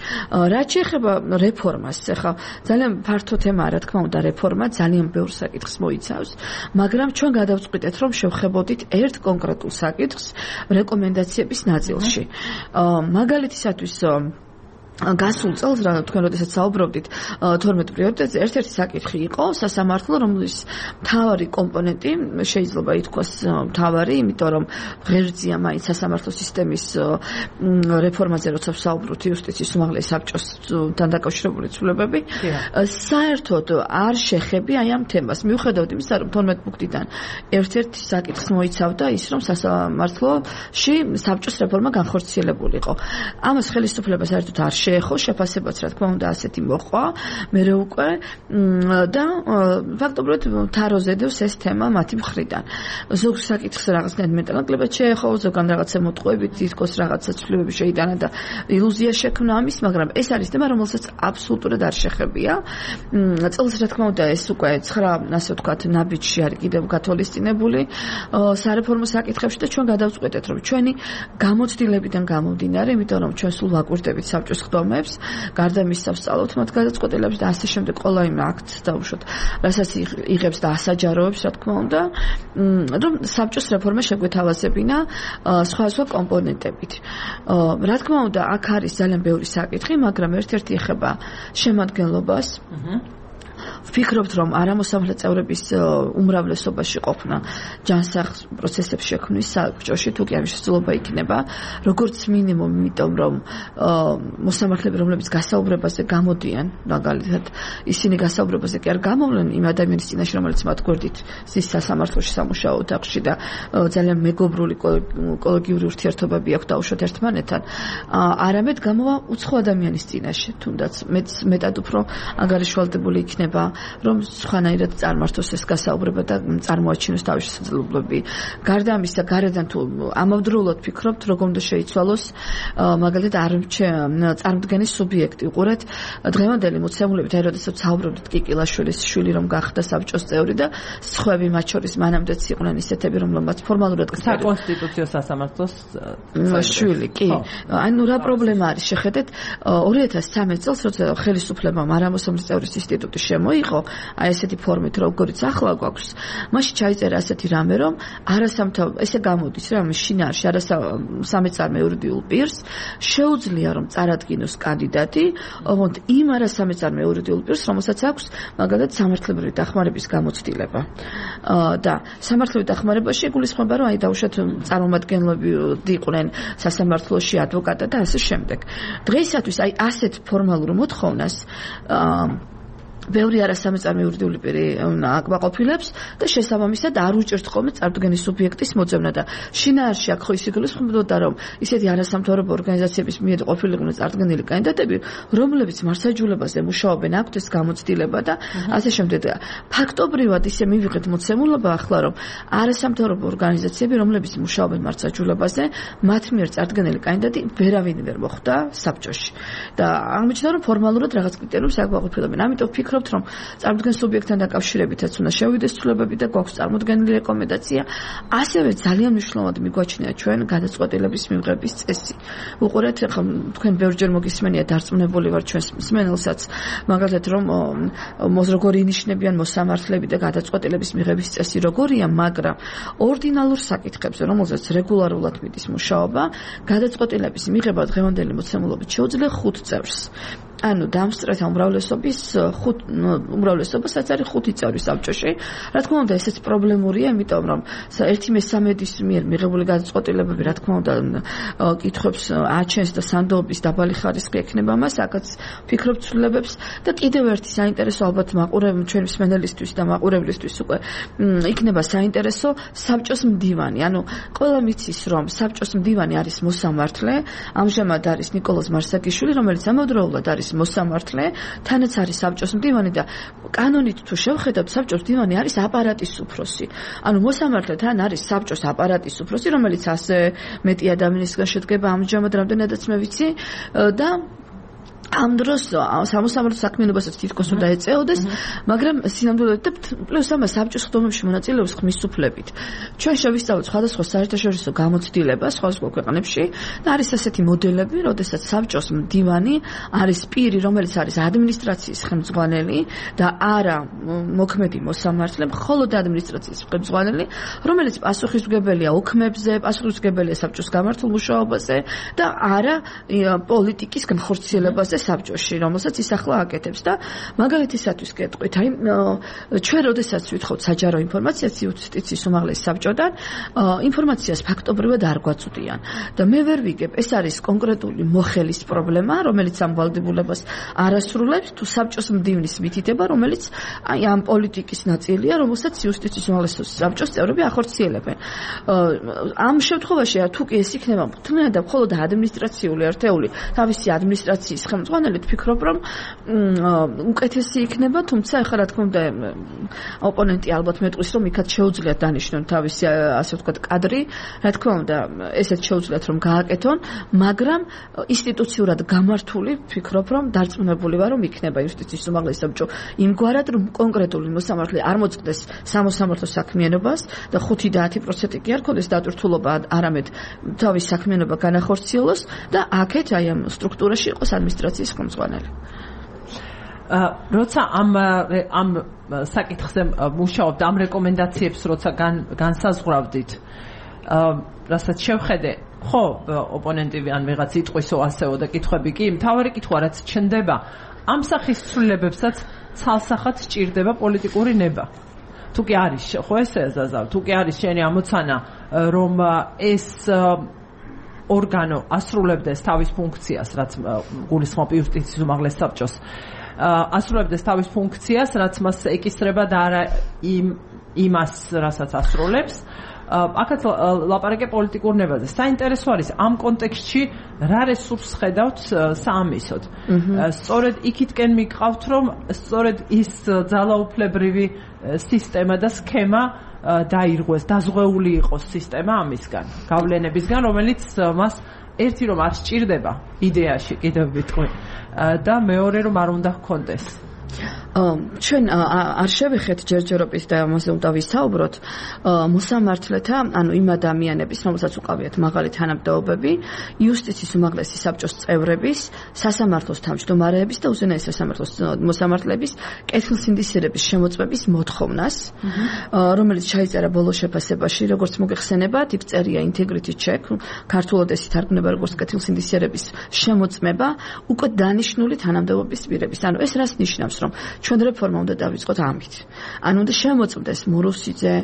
[SPEAKER 3] რაც შეეხება რეფორმას, ახლა ძალიან ფართო თემაა, რა თქმა უნდა, რეფორმა ძალიან ბევრ საკითხს მოიცავს, მაგრამ ჩვენ გადავწყვიტეთ, რომ შევხებოდით ერთ კონკრეტულ საკითხს რეკომენდაციების ნაწილში. მაგალითისათვის გასულ წელს რა თქვენ როდესაც საუბრობდით 12 პრიორიტეტზე ერთ-ერთი საკითხი იყო სასამართლო, რომლის მთავარი კომპონენტი შეიძლება ითქვას მთავარი, იმიტომ რომ ღერძია მაინც სასამართლო სისტემის რეფორმაზე, როცა ვსაუბრობთ იუსტიციის უმაღლეს საბჭოსთან დაკავშირებული ცვლილებები, საერთოდ არ შეხები აი ამ თემას. მიუხედავად იმისა, რომ 12 პუნქტიდან ერთ-ერთი საკითხს მოიცავდა ის, რომ სასამართლოში საბჭოს რეფორმა განხორციელებულიყო. ამას ხელისუფლება საერთოდ არ შეეხო, შეფასებაც რა თქმა უნდა ასეთი მოყვა, მერე უკვე და ფაქტობრივად თაროზე დევს ეს თემა მათი მხრიდან. ზოგ საკითხს რაღაცნაირად მეტანაკლებად შეეხო, ზოგან რაღაცა მოტყუებით თითქოს რაღაცა ცვლილებები შეიტანა და ილუზია შექმნა ამის, მაგრამ ეს არის თემა, რომელსაც აბსოლუტურად არ შეხებია. წელს რა თქმა უნდა ეს უკვე 9, ასე ვთქვათ, ნაბიჯში არის კიდევ გათვალისწინებული სარეფორმო საკითხებში და ჩვენ გადავწყვეტეთ, რომ ჩვენი გამოცდილებიდან გამომდინარე, იმიტომ რომ ჩვენ სულ ვაკვირდებით საბჭოს ხდომებს, გარდა მისცა ვსწავლობთ მათ გადაწყვეტილებებს და ასე შემდეგ ყველა იმ აქტს დაუშვათ, რასაც იღებს და ასაჯაროებს, რა თქმა უნდა, რომ საბჭოს რეფორმა შეგვეთავაზებინა სხვა კომპონენტებით. რა თქმა უნდა, აქ არის ძალიან ბევრი საკითხი, მაგრამ ერთ-ერთი ეხება შემადგენლობას. ვფიქრობთ, რომ არამოსამართლე წევრების უმრავლესობაში ყოფნა ჯანსაღ პროცესებს შექმნის საბჭოში, თუ კი ამის შესაძლებლობა იქნება, როგორც მინიმუმ, იმიტომ რომ მოსამართლეები, რომლებიც გასაუბრებაზე გამოდიან, მაგალითად, ისინი გასაუბრებაზე კი არ გამოვლენ იმ ადამიანის წინაშე, რომელიც მათ გვერდით ზის სასამართლოში სამუშაო ოთახში და ძალიან მეგობრული კოლეგიური ურთიერთობები აქვს დაუშვათ ერთმანეთთან, არამედ გამოვა უცხო ადამიანის წინაშე, თუნდაც მეტად უფრო ანგარიშვალდებული იქნება, რომ სხვანაირად წარმართოს ეს გასაუბრება და წარმოაჩინოს თავის შესაძლებლობები. გარდა ამისა, გარედან თუ ამავდროულად ფიქრობთ, როგორ უნდა შეიცვალოს მაგალითად წარმოდგენის სუბიექტი. უყურეთ, დღევანდელი მოცემულებით, აი როდესაც საუბრობთ კიკილაშვილის შვილი რომ გახდა საბჭოს წევრი და სხვები მათ შორის მანამდეც იყვნენ ისეთები, რომლებმაც ფორმალურად
[SPEAKER 1] საკონსტიტუციო სასამართლოს
[SPEAKER 3] შვილი, კი. ანუ რა პრობლემა არის, შეხედეთ 2013 წელს, როცა ხელისუფლებამ არამოსამართლე წევრის ინსტიტუტი მოიყო, აი ესეთი ფორმით, როგორც ახლა გვაქვს, მაშინ ჩაიწერა ასეთი რამე, რომ ესე გამოდის, რომ შინაარსში არასამეწარმე იურიდიულ პირს შეუძლია, რომ წარადგინოს კანდიდატი, ოღონდ იმ არასამეწარმე იურიდიულ პირს, რომელსაც აქვს მაგალითად სამართლებრივი დახმარების გამოცდილება. და სამართლებრივი დახმარებაში იგულისხმება, რომ აი დაუშვათ წარმომადგენლები იყვნენ სასამართლოში, ადვოკატად და ასე შემდეგ. დღეისათვის აი ასეთ ფორმალურ მოთხოვნას ბევრი არასამეწარმე იურიდიული პირი აკმაყოფილებს და შესაბამისად არ უჭერთ ხოლმე წარმოდგენის სუბიექტის მოძებნა და შინაარსში აქ ხო ის იგულისხმებოდა, რომ ისეთი არასამთავრობო ორგანიზაციების მიერ ყოფილიყვნენ წარდგენილი კანდიდატები, რომლებიც მართლმსაჯულებაზე მუშაობენ, აქვთ ეს გამოცდილება და ასე შემდეგ. ფაქტობრივად ისე მივიღეთ მოცემულობა ახლა, რომ არასამთავრობო ორგანიზაციები, რომლებიც მუშაობენ მართლმსაჯულებაზე, მათ მიერ წარდგენილი კანდიდატი ვერავინ ვერ მოხვდა საბჭოში. და აღმოჩნდა, რომ ფორმალურად რაღაც კრიტერიუმს აკმაყოფილებენ. ამიტომ ვფიქრობ, ვფიქრობთ, რომ წარმოდგენ სუბიექტთან დაკავშირებითაც უნდა შევიდეს ცვლილებები და გვაქვს წარმოდგენილი რეკომენდაცია. ასევე ძალიან მნიშვნელოვანი მიგვაჩნია ჩვენ გადაწყვეტილების მიღების წესი. უყურეთ, ახლა თქვენ ბევრჯერ მოგისმენია დარწმუნებული ვარ ჩვენს მსმენელსაც, მაგალითად რომ როგორი ინიშნებიან მოსამართლეები და გადაწყვეტილების მიღების წესი როგორია, მაგრამ ორდინალურ საკითხებზე, რომელზეც რეგულარულად მიდის მუშაობა, გადაწყვეტილების მიღება დღევანდელი მოცემულობით შეუძლია 5 წევრს. ანუ დამსწრეთა უმრავლესობასაც არის 5 წევრი საბჭოში. რა თქმა უნდა, ესეც პრობლემურია, იმიტომ რომ 1/13-ის მიერ მიღებული გადაწყვეტილებები, რა თქმა უნდა, კითხვებს აჩენს და სანდოობის დაბალი ხარისხი ექნება მას, აქაც ფიქრობ ცვლილებებს და კიდევ ერთი საინტერესო ალბათ ჩვენი მსმენელისთვის და მაყურებლისთვის უკვე იქნება საინტერესო საბჭოს მდივანი. ანუ ყველა მიცის, რომ საბჭოს მდივანი არის მოსამართლე, ამჟამად არის ნიკოლოზ მარსაკიშვილი, რომელიც ამავდროულად არის მოსამართლე, თანაც არის საბჭოს მდივანი და კანონით თუ შევხედავთ, საბჭოს მდივანი არის აპარატის უფროსი. ანუ მოსამართლე თან არის საბჭოს აპარატის უფროსი, რომელიც ასე მეტი ადამიანისგან შედგება ამჟამად, რამდენადაც მე ვიცი და ამ დროს სამოსამართლო საქმიანობასაც თითქოს უნდა ეწეოდეს, მაგრამ სინამდვილედ და პლუს ამას საბჭოს ხდომებში მონაწილეობს ხმის უფლებით. ჩვენ შევისწავლეთ სხვადასხვა საერთაშორისო გამოცდილებას სხვადასხვა ქვეყნებში და არის ასეთი მოდელები, როდესაც საბჭოს მდივანი არის პირი, რომელიც არის ადმინისტრაციის ხელმძღვანელი და არა მოქმედი მოსამართლე, მხოლოდ ადმინისტრაციის ხელმძღვანელი, რომელიც პასუხისმგებელია ოქმებზე, პასუხისმგებელია საბჭოს გამართულ მუშაობაზე და არა პოლიტიკის განხორციელებაზე საბჭოში, რომელსაც ის ახლა აკეთებს და მაგალითისათვის გეტყვით, აი ჩვენ როდესაც ვითხოვთ საჯარო ინფორმაციას იუსტიციის უმაღლეს საბჭოდან, ინფორმაციას ფაქტობრივად არ გვაწვდიან და მე ვერ ვიგებ, ეს არის კონკრეტული მოხელის პრობლემა, რომელიც ამ ვალდებულებას არ ასრულებს, თუ საბჭოს მდივნის მითითება, რომელიც აი ამ პოლიტიკის ნაწილია, რომელსაც იუსტიციის უმაღლეს საბჭოს წევრები ახორციელებენ. ამ შემთხვევაში თუ კი ეს იქნება მთლიანად და მხოლოდ ადმინისტრაციული ერთეული, თავისი ადმინისტრაციის ხელმძღვანელი, ვფიქრობ, რომ უკეთესი იქნება, თუმცა ახლა რა თქმა უნდა ოპონენტი ალბათ მეტყვის, რომ იქაც შეუძლიათ დანიშნონ თავისი ასე ვთქვათ კადრი, რა თქმა უნდა ესეც შეუძლიათ რომ გააკეთონ, მაგრამ ინსტიტუციურად გამართული ვფიქრობ, რომ დარწმუნებული ვარ, რომ იქნება იუსტიციის უმაღლესი საბჭო იმგვარად, რომ კონკრეტული მოსამართლე არ მოწყდეს სამოსამართლო საქმიანობას და 5-10% კი არ ქონდეს დატვირთულობა, არამედ თავის საქმიანობა განახორციელოს და აქეთ აი ამ სტრუქტურაში იყოს ადმინისტრაციის ხელმძღვანელი.
[SPEAKER 1] როცა ამ საკითხზე მუშაობთ, ამ რეკომენდაციებს როცა განსაზღვრავდით, რასაც შევხედე, ხო, ოპონენტი ან ვიღაც იტყვისო ასეო და კითხვები კი, მთავარი კითხვა რაც ჩნდება, ამ სახის ცვლილებებსაც ცალსახად სჭირდება პოლიტიკური ნება. თუ კი არის, ხო ესე ზაზავ, თუ კი არის შენი ამოცანა, რომ ეს ორგანო ასრულებდეს თავის ფუნქციას, რაც გულისხმობ იუსტიციის უმაღლეს საბჭოს, ასრულებდეს თავის ფუნქციას, რაც მას ეკისრება და არა იმას, რასაც ასრულებს. აქაც ლაპარაკე პოლიტიკურ ნებაზე. საინტერესო არის ამ კონტექსტში რა რესურსს ხედავთ საამისოდ. სწორედ იქითკენ მიგყავთ, რომ სწორედ ის ძალაუფლებრივი სისტემა და სქემა დაირღვეს, დაზღვეული იყოს სისტემა ამისგან, გავლენებისგან, რომელიც მას ერთი რომ არ სჭირდება იდეაში, კიდევ ვიტყვი, და მეორე რომ არ უნდა ჰქონდეს.
[SPEAKER 3] ჩვენ არ შევეხეთ ჯერჯერობით და ამაზე უნდა ვისაუბროთ მოსამართლეთა, ანუ იმ ადამიანების, რომელსაც უყავიათ მაღალი თანამდებობები, იუსტიციის უმაღლესი საბჭოს წევრების, სასამართლოს თავმჯდომარეების და უზენაეს სასამართლოს მოსამართლეების კეთილსინდისიერების შემოწმების მოთხოვნას, რომელიც ჩაიწერა ბოლო შეფასებაში, როგორც მოგეხსენებათ, იქ წერია integrity check, ქართულად ეს ითარგმნება როგორც კეთილსინდისიერების შემოწმება უკვე დანიშნული თანამდებობის პირების. ანუ ეს რას ნიშნავს, რომ ჩვენ რეფორმა უნდა დავიწყოთ ამით. ანუ უნდა შემოწმდეს მურუსიძე,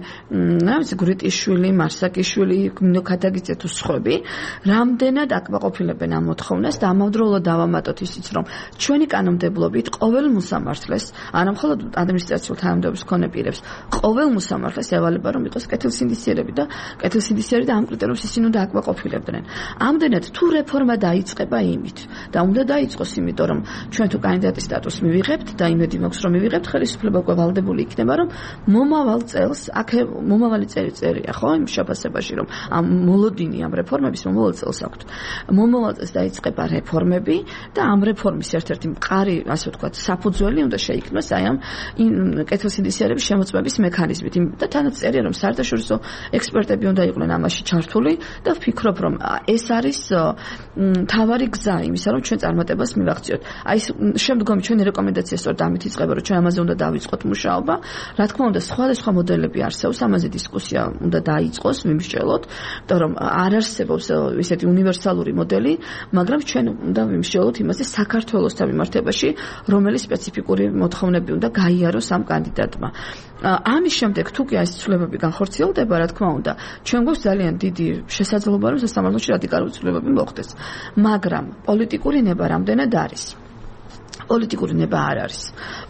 [SPEAKER 3] გრიტიშვილი, მარსაკიშვილი, ნოქადაგიძე თუ სხვები, რამდენად აკმაყოფილებენ ამ მოთხოვნას და ამავდროულად დავამატოთ ისიც, რომ ჩვენი კანონმდებლობით ყოველ მოსამართლეს, არა მხოლოდ ადმინისტრაციულ თანამდებობის მქონე პირებს, ყოველ მოსამართლეს ევალება, რომ იყოს კეთილსინდისიერები და კეთილსინდისიერი და ამ კრიტერიუმს ისინი უნდა აკმაყოფილებდნენ. ამდენად თუ რეფორმა დაიწყება იმით და უნდა დაიწყოს იმიტომ, რომ ჩვენ თუ კანდიდატის სტატუსს მივიღებთ და იმედი მაქვს რომ მივიღებთ ხელისუფლება უკვე ვალდებული იქნება რომ მომავალ წელს მომავალი წერია ხო იმ შეფასებაში რომ ამ მოლოდინი ამ რეფორმების მომავალ წელს აქვთ მომავალ წელს დაიწყება რეფორმები და ამ რეფორმის ერთ-ერთი მყარი ასე ვთქვათ საფუძველი უნდა შეიქმნას აი ამ კეთილსინდისიერების შემოწმების მექანიზმით და თანაც წერია რომ საერთაშორისო ექსპერტები უნდა იყვნენ ამაში ჩართული და ვფიქრობ რომ ეს არის თავარი გზა იმისა რომ ჩვენ წარმატებას მივაღწიოთ აი შემდგომი ჩვენი რეკომენდაცია სწორედ ამით იწყება რომ ჩვენ ამაზე უნდა დავიწყოთ მუშაობა რა თქმა უნდა სხვადასხვა მოდელები არსებობს ამაზე დისკუსია უნდა დაიწყოს ვიმსჯელოთ იმიტომ რომ არ არსებობს ისეთი უნივერსალური მოდელი მაგრამ ჩვენ უნდა ვიმსჯელოთ იმაზე საქართველოსთან მიმართებაში რომელი სპეციფიკური მოთხოვნები უნდა გაიაროს ამ კანდიდატმა ამის შემდეგ თუ კი ეს ცვლილებები განხორციელდება რა თქმა უნდა ჩვენ გვაქვს ძალიან დიდი შესაძლებლობა რომ სასამართლოში რადიკალური ცვლილებები მოხდეს მაგრამ პოლიტიკური ნება რამდენად არის პოლიტიკური ნება არ არის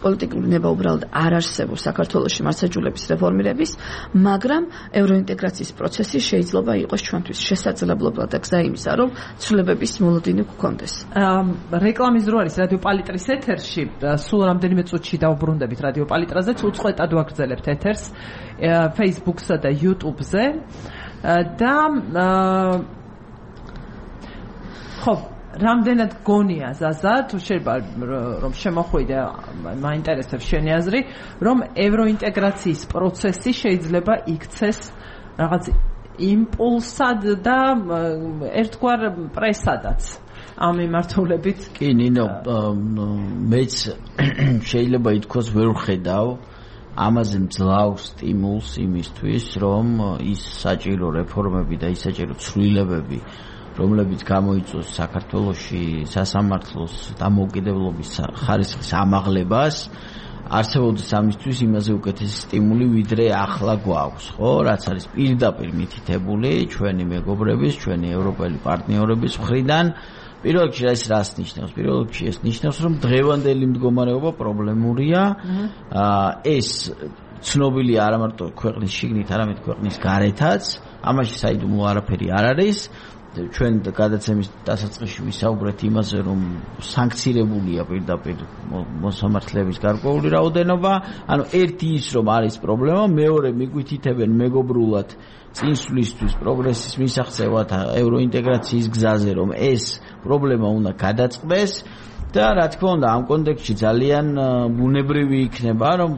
[SPEAKER 3] პოლიტიკური ნება უბრალოდ არ არსებობს საქართველოში მართლმსაჯულების რეფორმირების მაგრამ ევროინტეგრაციის პროცესი შეიძლება იყოს ჩვენთვის შესაძლებლობა და გზა იმისა რომ ცვლილებების მოლოდინი გქონდეს
[SPEAKER 1] რეკლამის დრო არის რადიო პალიტრის ეთერში სულ რამდენიმე წუთში დავუბრუნდებით რადიო პალიტრაზეც უწყვეტად ვაგრძელებთ ეთერს Facebook-სა და YouTube-ზე და ხო რამდენად გონია ზაზა თუ შეიძლება რომ შემოხვიდე მაინტერესებს შენი აზრი რომ ევროინტეგრაციის პროცესი შეიძლება იქცეს რაღაც იმპულსად და ერთგვარ პრესადაც ამ მიმართულებით
[SPEAKER 2] კი ნინო მეც შეიძლება ითქვას ვერ ვხედავ ამაზე მძლავრ სტიმულს იმისთვის რომ ის საჭირო რეფორმები და ის საჭირო ცვლილებები რომლებიც გამოიწვევს საქართველოში სასამართლოს დამოუკიდებლობის ხარისხის ამაღლებას არსებობს ამისთვის იმაზე უკეთესი სტიმული ვიდრე ახლა გვაქვს ხო რაც არის პირდაპირ მითითებული ჩვენი მეგობრების ჩვენი ევროპელი პარტნიორების მხრიდან პირველ რიგში ეს რას ნიშნავს პირველ რიგში ეს ნიშნავს რომ დღევანდელი მდგომარეობა პრობლემურია ეს ცნობილია არა მარტო ქვეყნის შიგნით არამედ ქვეყნის გარეთაც ამაში საიდუმლო არაფერი არ არის ჩვენ გადაცემის დასაწყისში ვისაუბრეთ იმაზე რომ სანქცირებულია პირდაპირ მოსამართლეების გარკვეული რაოდენობა ანუ ერთი ის რომ არის პრობლემა მეორე მიგვითითებენ მეგობრულად წინსვლისთვის პროგრესის მისაღწევად ევროინტეგრაციის გზაზე რომ ეს პრობლემა უნდა გადაწყდეს და რა თქმა უნდა ამ კონტექსტში ძალიან ბუნებრივი იქნება რომ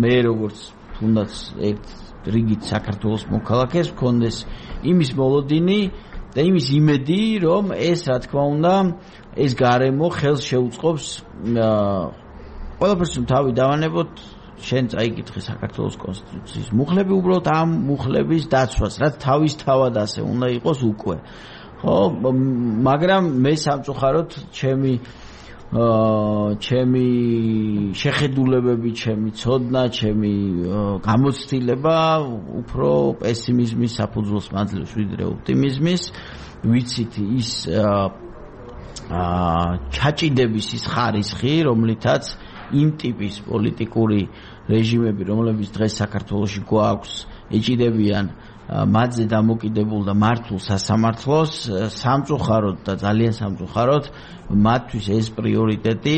[SPEAKER 2] მე როგორც თუნდაც ერთ რიგით საქართველოს მოქალაქეს მქონდეს იმის მოლოდინი და იმის იმედი რომ ეს რა თქმა უნდა ეს გარემო ხელს შეუწყობს ყველაფერს თავი დავანებოთ შენ წაიკითხე საქართველოს კონსტიტუციის მუხლები უბრალოდ ამ მუხლების დაცვას რაც თავისთავად ასე უნდა იყოს უკვე ხო მაგრამ მე სამწუხაროდ ჩემი შეხედულებები ჩემი ცოდნა ჩემი გამოცდილება უფრო პესიმიზმის საფუძველს მაძლევს ვიდრე ოპტიმიზმის ვიცით ის ჩაჭიდების ის ხარისხი რომლითაც იმ ტიპის პოლიტიკური რეჟიმები რომლებიც დღეს საქართველოში გვაქვს ეჭიდებიან მათზე დამოკიდებულ და მართულ სასამართლოს სამწუხაროდ და ძალიან სამწუხაროდ მათთვის ეს პრიორიტეტი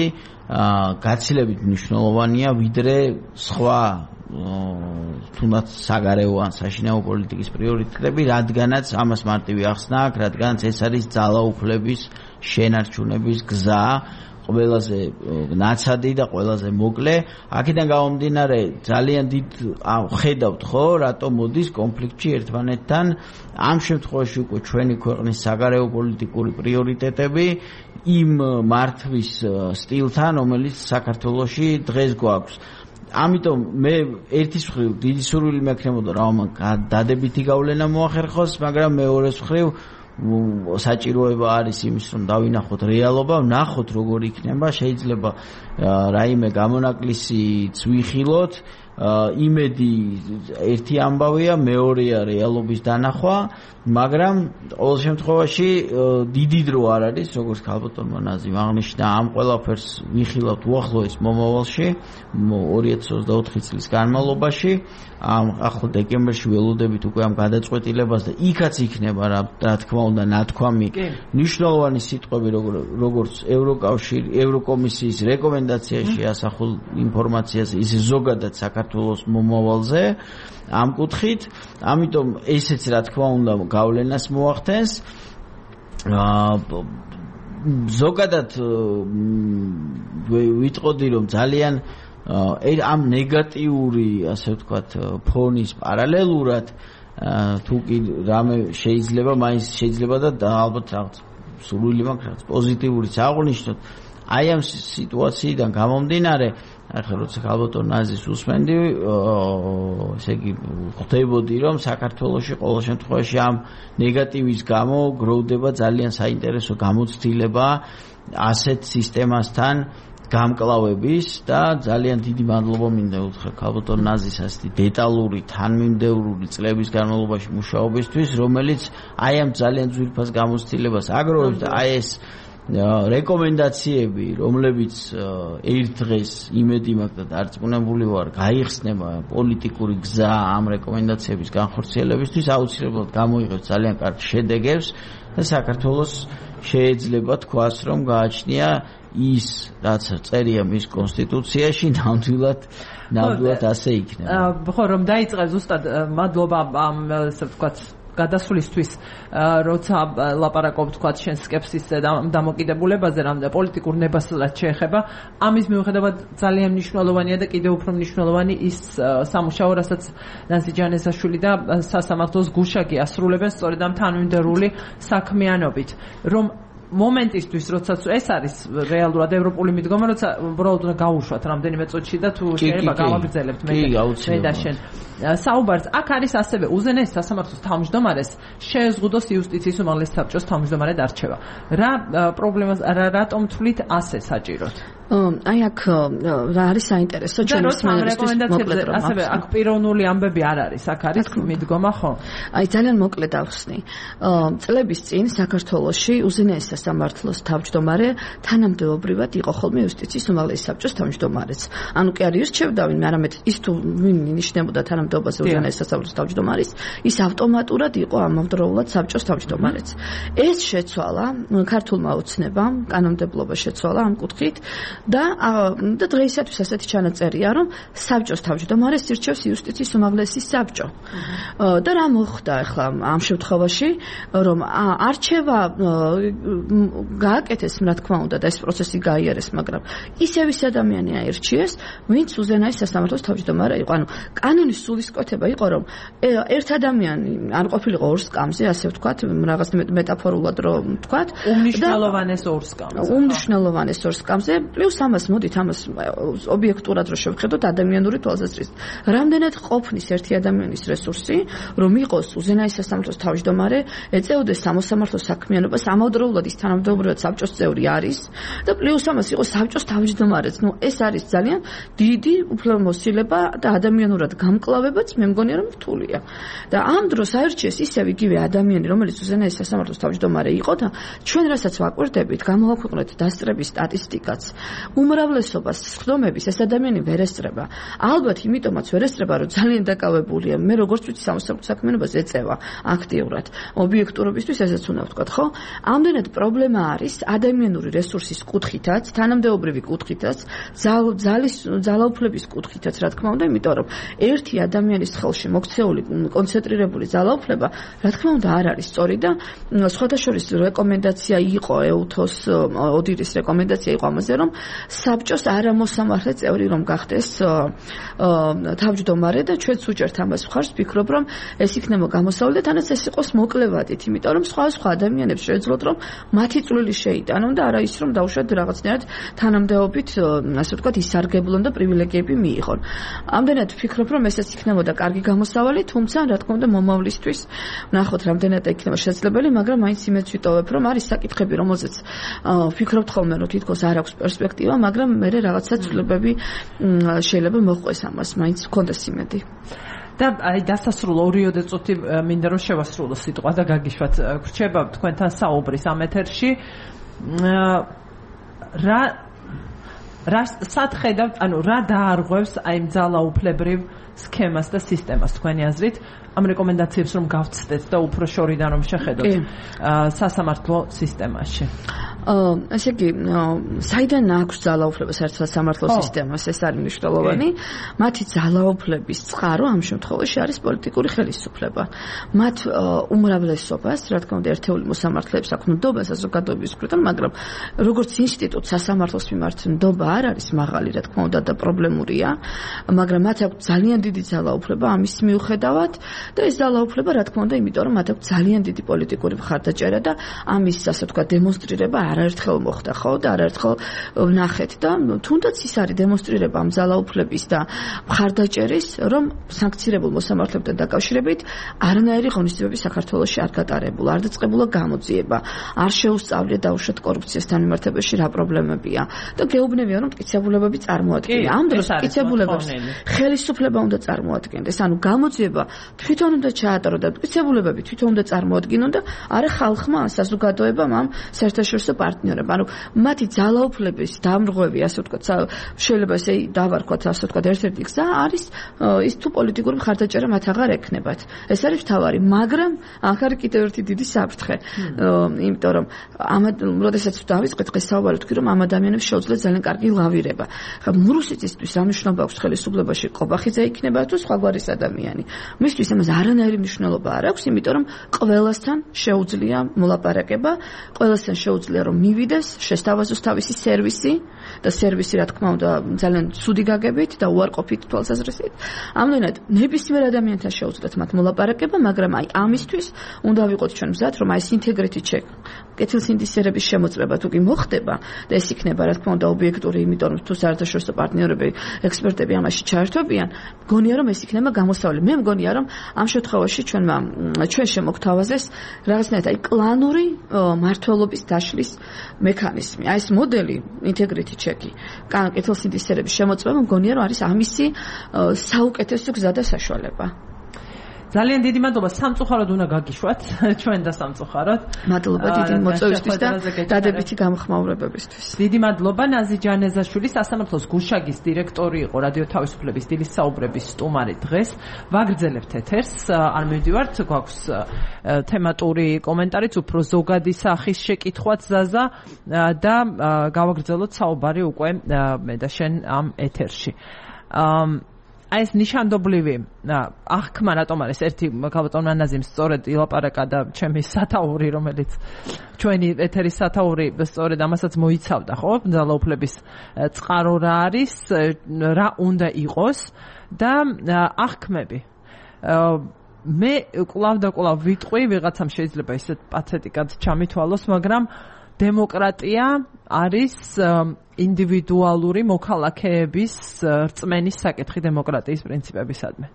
[SPEAKER 2] გაცილებით მნიშვნელოვანია ვიდრე სხვა თუნდაც საგარეო ან საშინაო პოლიტიკის პრიორიტეტები რადგანაც ამას მარტივი ახსნა აქვს რადგანაც ეს არის ძალაუფლების შენარჩუნების გზა ყველაზე ნაცადი და ყველაზე მოკლე აქედან გამომდინარე ძალიან დიდ ხედავთ ხო რატომ მოდის კონფლიქტში ერთმანეთთან ამ შემთხვევაში უკვე ჩვენი ქვეყნის საგარეო პოლიტიკური პრიორიტეტები იმ მართვის სტილთან რომელიც საქართველოში დღეს გვაქვს ამიტომ მე ერთის მხრივ დიდი სურვილი მექნებოდა რომ დადებითი გავლენა მოახერხოს მაგრამ მეორეს მხრივ საჭიროება არის იმის რომ დავინახოთ რეალობა, ვნახოთ როგორ იქნება, შეიძლება რაიმე გამონაკლისიც ვიხილოთ, იმედი ერთი ამბავია, მეორეა რეალობის დანახვა, მაგრამ ყოველ შემთხვევაში დიდი დრო არ არის, როგორც ქალბატონმა ნაზიმ აღნიშნა, ამ ყველაფერს ვიხილავთ უახლოეს მომავალში, 2024 წლის განმავლობაში, ახლა დეკემბერში ველოდებით უკვე ამ გადაწყვეტილებას და იქაც იქნება რა თქმა უნდა ნათქვამი მნიშვნელოვანი სიტყვები როგორც ევროკომისიის რეკომენდაციაში ასახულ ინფორმაციაზე, ისე ზოგადად საქართველოს მომავალზე ამ კუთხით, ამიტომ ესეც რა თქმა უნდა გავლენას მოახდენს. ზოგადად ვიტყოდი რომ ძალიან ამ ნეგატიური, ასე ვთქვათ, ფონის პარალელურად თუ კი რამე შეიძლება, მაინც შეიძლება და ალბათ რაღაც სურვილი მაქვს რაღაც პოზიტიურიც აღვნიშნოთ. აი ამ სიტუაციიდან გამომდინარე, ახლა როცა ქალბატონ ნაზის უსმენდი, ესე იგი ხვდებოდი რომ საქართველოში ყოველ შემთხვევაში ამ ნეგატივის გამო გროვდება ძალიან საინტერესო გამოცდილება ასეთ სისტემასთან გამკლავების და ძალიან დიდი მადლობა მინდა უთხრა ქალბატონ ნაზის ასეთი დეტალური, თანმიმდევრული წლების განმავლობაში მუშაობისთვის, რომელიც აი ამ ძალიან ძვირფას გამოცდილებას აგროვებს და აი ეს რეკომენდაციები, რომლებიც ერთ დღეს იმედი მაქვს და დარწმუნებული ვარ, გაიხსნება პოლიტიკური გზა ამ რეკომენდაციების განხორციელებისთვის, აუცილებლად გამოიღებს ძალიან კარგ შედეგებს და საქართველოს შეიძლება თქვას, რომ გააჩნია ის, რაც წერია მის კონსტიტუციაში, ნამდვილად ასე იქნება.
[SPEAKER 1] ხო, რომ დაიწყე ზუსტად მადლობა ამ ასე ვთქვათ გადასვლისთვის, როცა ლაპარაკობ თქვათ შენ სკეპსისზე და დამოკიდებულებაზე, რამდა პოლიტიკურ ნებასაც შეეხება, ამის მიუხედავად ძალიან მნიშვნელოვანია და კიდევ უფრო მნიშვნელოვანი ის სამუშაო, რასაც ნაზი ჯანესაშვილი და სასამართლოს გუშაგი ასრულებენ სწორედ ამ თანმიმდევრული საქმიანობით, რომ მომენტისთვის, როდესაც ეს არის რეალურად ევროპული მიდგომა, როცა უბრალოდ უნდა გაუშვათ რამდენიმე წუთში და თუ შეიძლება გავაგრძელებთ მე და შენ. საუბარს აქ არის ასევე უზენაეს სასამართლოს თავმჯდომარეს შეეზღუდოს იუსტიციის უმაღლესი საბჭოს თავმჯდომარედ არჩევა. რა პრობლემას რატომ თვლით ასე საჭიროდ?
[SPEAKER 3] აი აქ რა არის საინტერესო ჩემს
[SPEAKER 1] რეკომენდაციებზე ასევე აქ პიროვნული ამბები არ არის, აქ არის მიდგომა, ხო?
[SPEAKER 3] აი ძალიან მოკლედ ავხსნი. წლების წინ საქართველოში უზენაეს სასამართლოს თავმჯდომარე თანამდებობრივად იყო ხოლმე იუსტიციის უმაღლესი საბჭოს თავმჯდომარეც. ანუ კი არ ირჩევდა ვინმე, არამედ ის თუ ვინ ინიშნებოდა თანამდებობაზე უზენაეს სასამართლოს თავმჯდომარის, ის ავტომატურად იყო ამავდროულად საბჭოს თავმჯდომარეც. ეს შეცვალა ქართულმა ოცნებამ, კანონმდებლობა შეცვალა ამ კუთხით. და დღეისათვის ასეთი ჩანაწერია, რომ საბჭოს თავმჯდომარეს ირჩევს იუსტიციის უმაღლესი საბჭო. და რა მოხდა ახლა ამ შემთხვევაში, რომ არჩევა გააკეთეს, რა თქმა უნდა, და ეს პროცესი გაიარეს, მაგრამ ისევ ის ადამიანი აირჩიეს, ვინც უზენაეს სასამართლოს თავმჯდომარე იყო. ანუ კანონის სულისკვეთება იყო, რომ ერთ ადამიანი არ ყოფილიყო ორ სკამზე, ასე ვთქვათ, რაღაც მეტაფორულად რომ ვთქვათ,
[SPEAKER 1] უმნიშვნელოვანეს ორ სკამზე.
[SPEAKER 3] უმნიშვნელოვანეს ორ სკამზე პლუს ამას მოდით ამას ობიექტურად რო შევხედოთ ადამიანური თვალსაზრისით. რამდენად ყოფნის ერთი ადამიანის რესურსი, რომ იყოს უზენაეს სასამართლოს თავმჯდომარე, ეწეოდეს სამოსამართლო საქმიანობას, ამავდროულად ის თანამდებობრივად საბჭოს წევრი არის და პლუს ამას იყოს საბჭოს თავმჯდომარეც. ნუ ეს არის ძალიან დიდი უფლებამოსილება და ადამიანურად გამკლავებაც მე მგონია რომ რთულია. და ამ დროს აირჩიეს ისევ იგივე ადამიანი, რომელიც უზენაეს სასამართლოს თავმჯდომარე იყო და ჩვენ რასაც ვაკვირდებით, გამოვაქვეყნეთ დასწრების სტატისტიკაც. უმრავლესობას სხდომების ეს ადამიანი ვერ ესწრება. ალბათ იმიტომაც ვერ ესწრება, რომ ძალიან დაკავებულია. მე როგორც ვიცი სამოსამართლო საქმიანობას ეწევა აქტიურად. ობიექტურობისთვის ესეც უნდა ვთქვათ, ხო? ამდენად პრობლემა არის ადამიანური რესურსის კუთხითაც, თანამდებობრივი კუთხითაც, ძალაუფლების კუთხითაც, რა თქმა უნდა, იმიტომ რომ ერთი ადამიანის ხელში მოქცეული კონცენტრირებული ძალაუფლება, რა თქმა უნდა, არ არის სწორი და სხვადასხვა რეკომენდაცია იყო ეუთოს ოდირის რეკომენდაცია იყო ამაზე, რომ საბჭოს არამოსამართლე წევრი რომ გახდეს თავმჯდომარე და ჩვენც უჭერთ ამას მხარს, ვფიქრობ, რომ ეს იქნება გამოსავალი და თანაც ეს იყოს მოკლევადით, იმიტომ რომ სხვა ადამიანებს შეეძლოთ, რომ მათი წვლილი შეიტანონ და არა ის, რომ დაუშვათ რაღაცნაირად თანამდებობით, ასე ვთქვათ, ისარგებლონ და პრივილეგიები მიიღონ. ამდენად ვფიქრობ, რომ ესეც იქნებოდა კარგი გამოსავალი, თუმცა რა თქმა უნდა მომავლისთვის ნახოთ რამდენად იქნება შესაძლებელი, მაგრამ მაინც იმედს ვიტოვებ, რომ არის საკითხები, რომელზეც ვფიქრობთ ხოლმე, რომ თითქოს არ აქვს პერსპექტივა ინიციატივა, მაგრამ მე რაღაცა ცვლილებები შეიძლება მოხდეს ამას, მაინც მქონდეს იმედი.
[SPEAKER 1] და აი დასასრულო 2 წუთი მინდა რომ შევასრულო სიტყვა და გაგიშვათ გრჩება თქვენთან საუბრის ამ ეთერში რა სათხედავთ ანუ რა დაარღვევს აი ძალაუფლებრივ სქემას და სისტემას თქვენი აზრით ამ რეკომენდაციებს რომ გავცდეთ და უფრო შორიდან რომ შეხედოთ სასამართლო სისტემაში
[SPEAKER 3] ასე იგი საიდან აქვს ძალაუფლება საერთოდ სასამართლო სისტემას ეს არის მნიშვნელოვანი მათი ძალაუფლების წყარო ამ შემთხვევაში არის პოლიტიკური ხელისუფლება მათ უმრავლესობას რა თქმა უნდა ერთეული მოსამართლეებს აქვს ნდობა საზოგადოების მხრიდან მაგრამ როგორც ინსტიტუტ სასამართლოს მიმართ ნდობა არ არის მაღალი რა თქმა უნდა და პრობლემურია მაგრამ მათ აქვს ძალიან დიდი ძალაუფლება ამის მიუხედავად და ეს ძალაუფლება რა თქმა უნდა იმიტომ რომ მათ აქვს ძალიან დიდი პოლიტიკური მხარდაჭერა და ამის ასე ვთქვათ დემონსტრირება არაერთხელ მოხდა ხო და არაერთხელ ვნახეთ და თუნდაც ის არის დემონსტრირება ამ ძალაუფლების და მხარდაჭერის რომ სანქცირებულ მოსამართლებთან დაკავშირებით არანაირი ღონისძიებები საქართველოში არ გატარებულა არ დაწყებულა გამოძიება არ შეუსწავლია დაუშვათ კორუფციასთან მიმართებაში რა პრობლემებია და გეუბნებია რომ მტკიცებულებები წარმოადგენდა ამ დროს მტკიცებულებებს ხელისუფლება უნდა წარმოადგენდეს ანუ გამოძიება თვითონ უნდა ჩაატარო და მტკიცებულებები თვითონ უნდა წარმოადგინონ და არა ხალხმა საზოგადოებამ ამ საერთაშორისო პარტნიორებმა ანუ მათი ძალაუფლების დამრღვევი ასე ვთქვათ შეიძლება ესე დავარქვათ ასე ვთქვათ ერთ-ერთი გზა არის ის თუ პოლიტიკური მხარდაჭერა მათ აღარ ექნებათ ეს არის თავარი მაგრამ აქ არის კიდევ ერთი დიდი საფრთხე იმიტომ რომ როდესაც დავიწყეთ დღეს საუბარი თქვი რომ ამ ადამიანებს შეუძლიათ ძალიან კარგი ლავირება ხა მურუსიცისთვის რა მნიშვნელობა აქვს ხელისუფლებაში ყობახიძე იქნება თუ სხვაგვარის ადამიანი მისთვის ამას არანაირი მნიშვნელობა არ აქვს იმიტომ რომ ყველასთან შეუძლია მოლაპარაკება ყველასთან შეუძლია რომ მივიდეს შესთავაზოს თავისი სერვისი და სერვისი რა თქმა უნდა ძალიან ცუდი გაგებით და უარყოფით თვალსაზრისით ამგვარად ნებისმიერ ადამიანთან შეუძლიათ მათ მოლაპარაკება მაგრამ აი ამისთვის უნდა ვიყოთ ჩვენ მზად რომ აი ეს ინტეგრიტი ჩეკ კეთილსინდისერების შემოწმება თუ კი მოხდება და ეს იქნება რა თქმა უნდა ობიექტური იმიტომ რომ თუ საერთაშორისო პარტნიორები ექსპერტები ამაში ჩაერთვებიან მგონია რომ ეს იქნება გამოსავალი მე მგონია რომ ამ შემთხვევაში ჩვენ შემოგთავაზეს რაღაცნაირად აი კლანური მართლობის დაშლის მექანიზმი აი ეს მოდელი ინტეგრიტი ჩეკი კეთილსინდისერების შემოწმება მგონია რომ არის ამისი საუკეთესო გზა და საშუალება
[SPEAKER 1] ძალიან დიდი მადლობა სამწუხაროდ უნდა გაგიშვათ ჩვენ და სამწუხაროდ
[SPEAKER 3] მადლობა დიდი მოწვევისთვის და დადებითი გამოხმაურებებისთვის დიდი
[SPEAKER 1] მადლობა ნაზი ჯანეზაშვილი სასამართლოს გუშაგის დირექტორი იყო რადიო თავისუფლების დილის საუბრების სტუმარი დღეს ვაგრძელებთ ეთერს არ მივდივართ გვაქვს თემატური კომენტარიც უფრო ზოგადი სახის შეკითხვაც ზაზა და გავაგრძელოთ საუბარი უკვე მე და შენ ამ ეთერში აი ეს ნიშანდობლივი აღქმა რატომ არის ერთი გაბატონ ანაზიმ სწორედ ილაპარაკა და ჩემი სათაური რომელიც ჩვენი ეთერის სათაური სწორედ ამასაც მოიცავდა ხო ძალაუფლების წყარო რა არის რა უნდა იყოს და აღქმები მე კვლავ და კვლავ ვიტყვი ვიღაცამ შეიძლება ისეთ პათეტიკად ჩამითვალოს მაგრამ დემოკრატია არის ინდივიდუალური მოქალაქეების რწმენის საკითხი დემოკრატიის პრინციპებისადმი.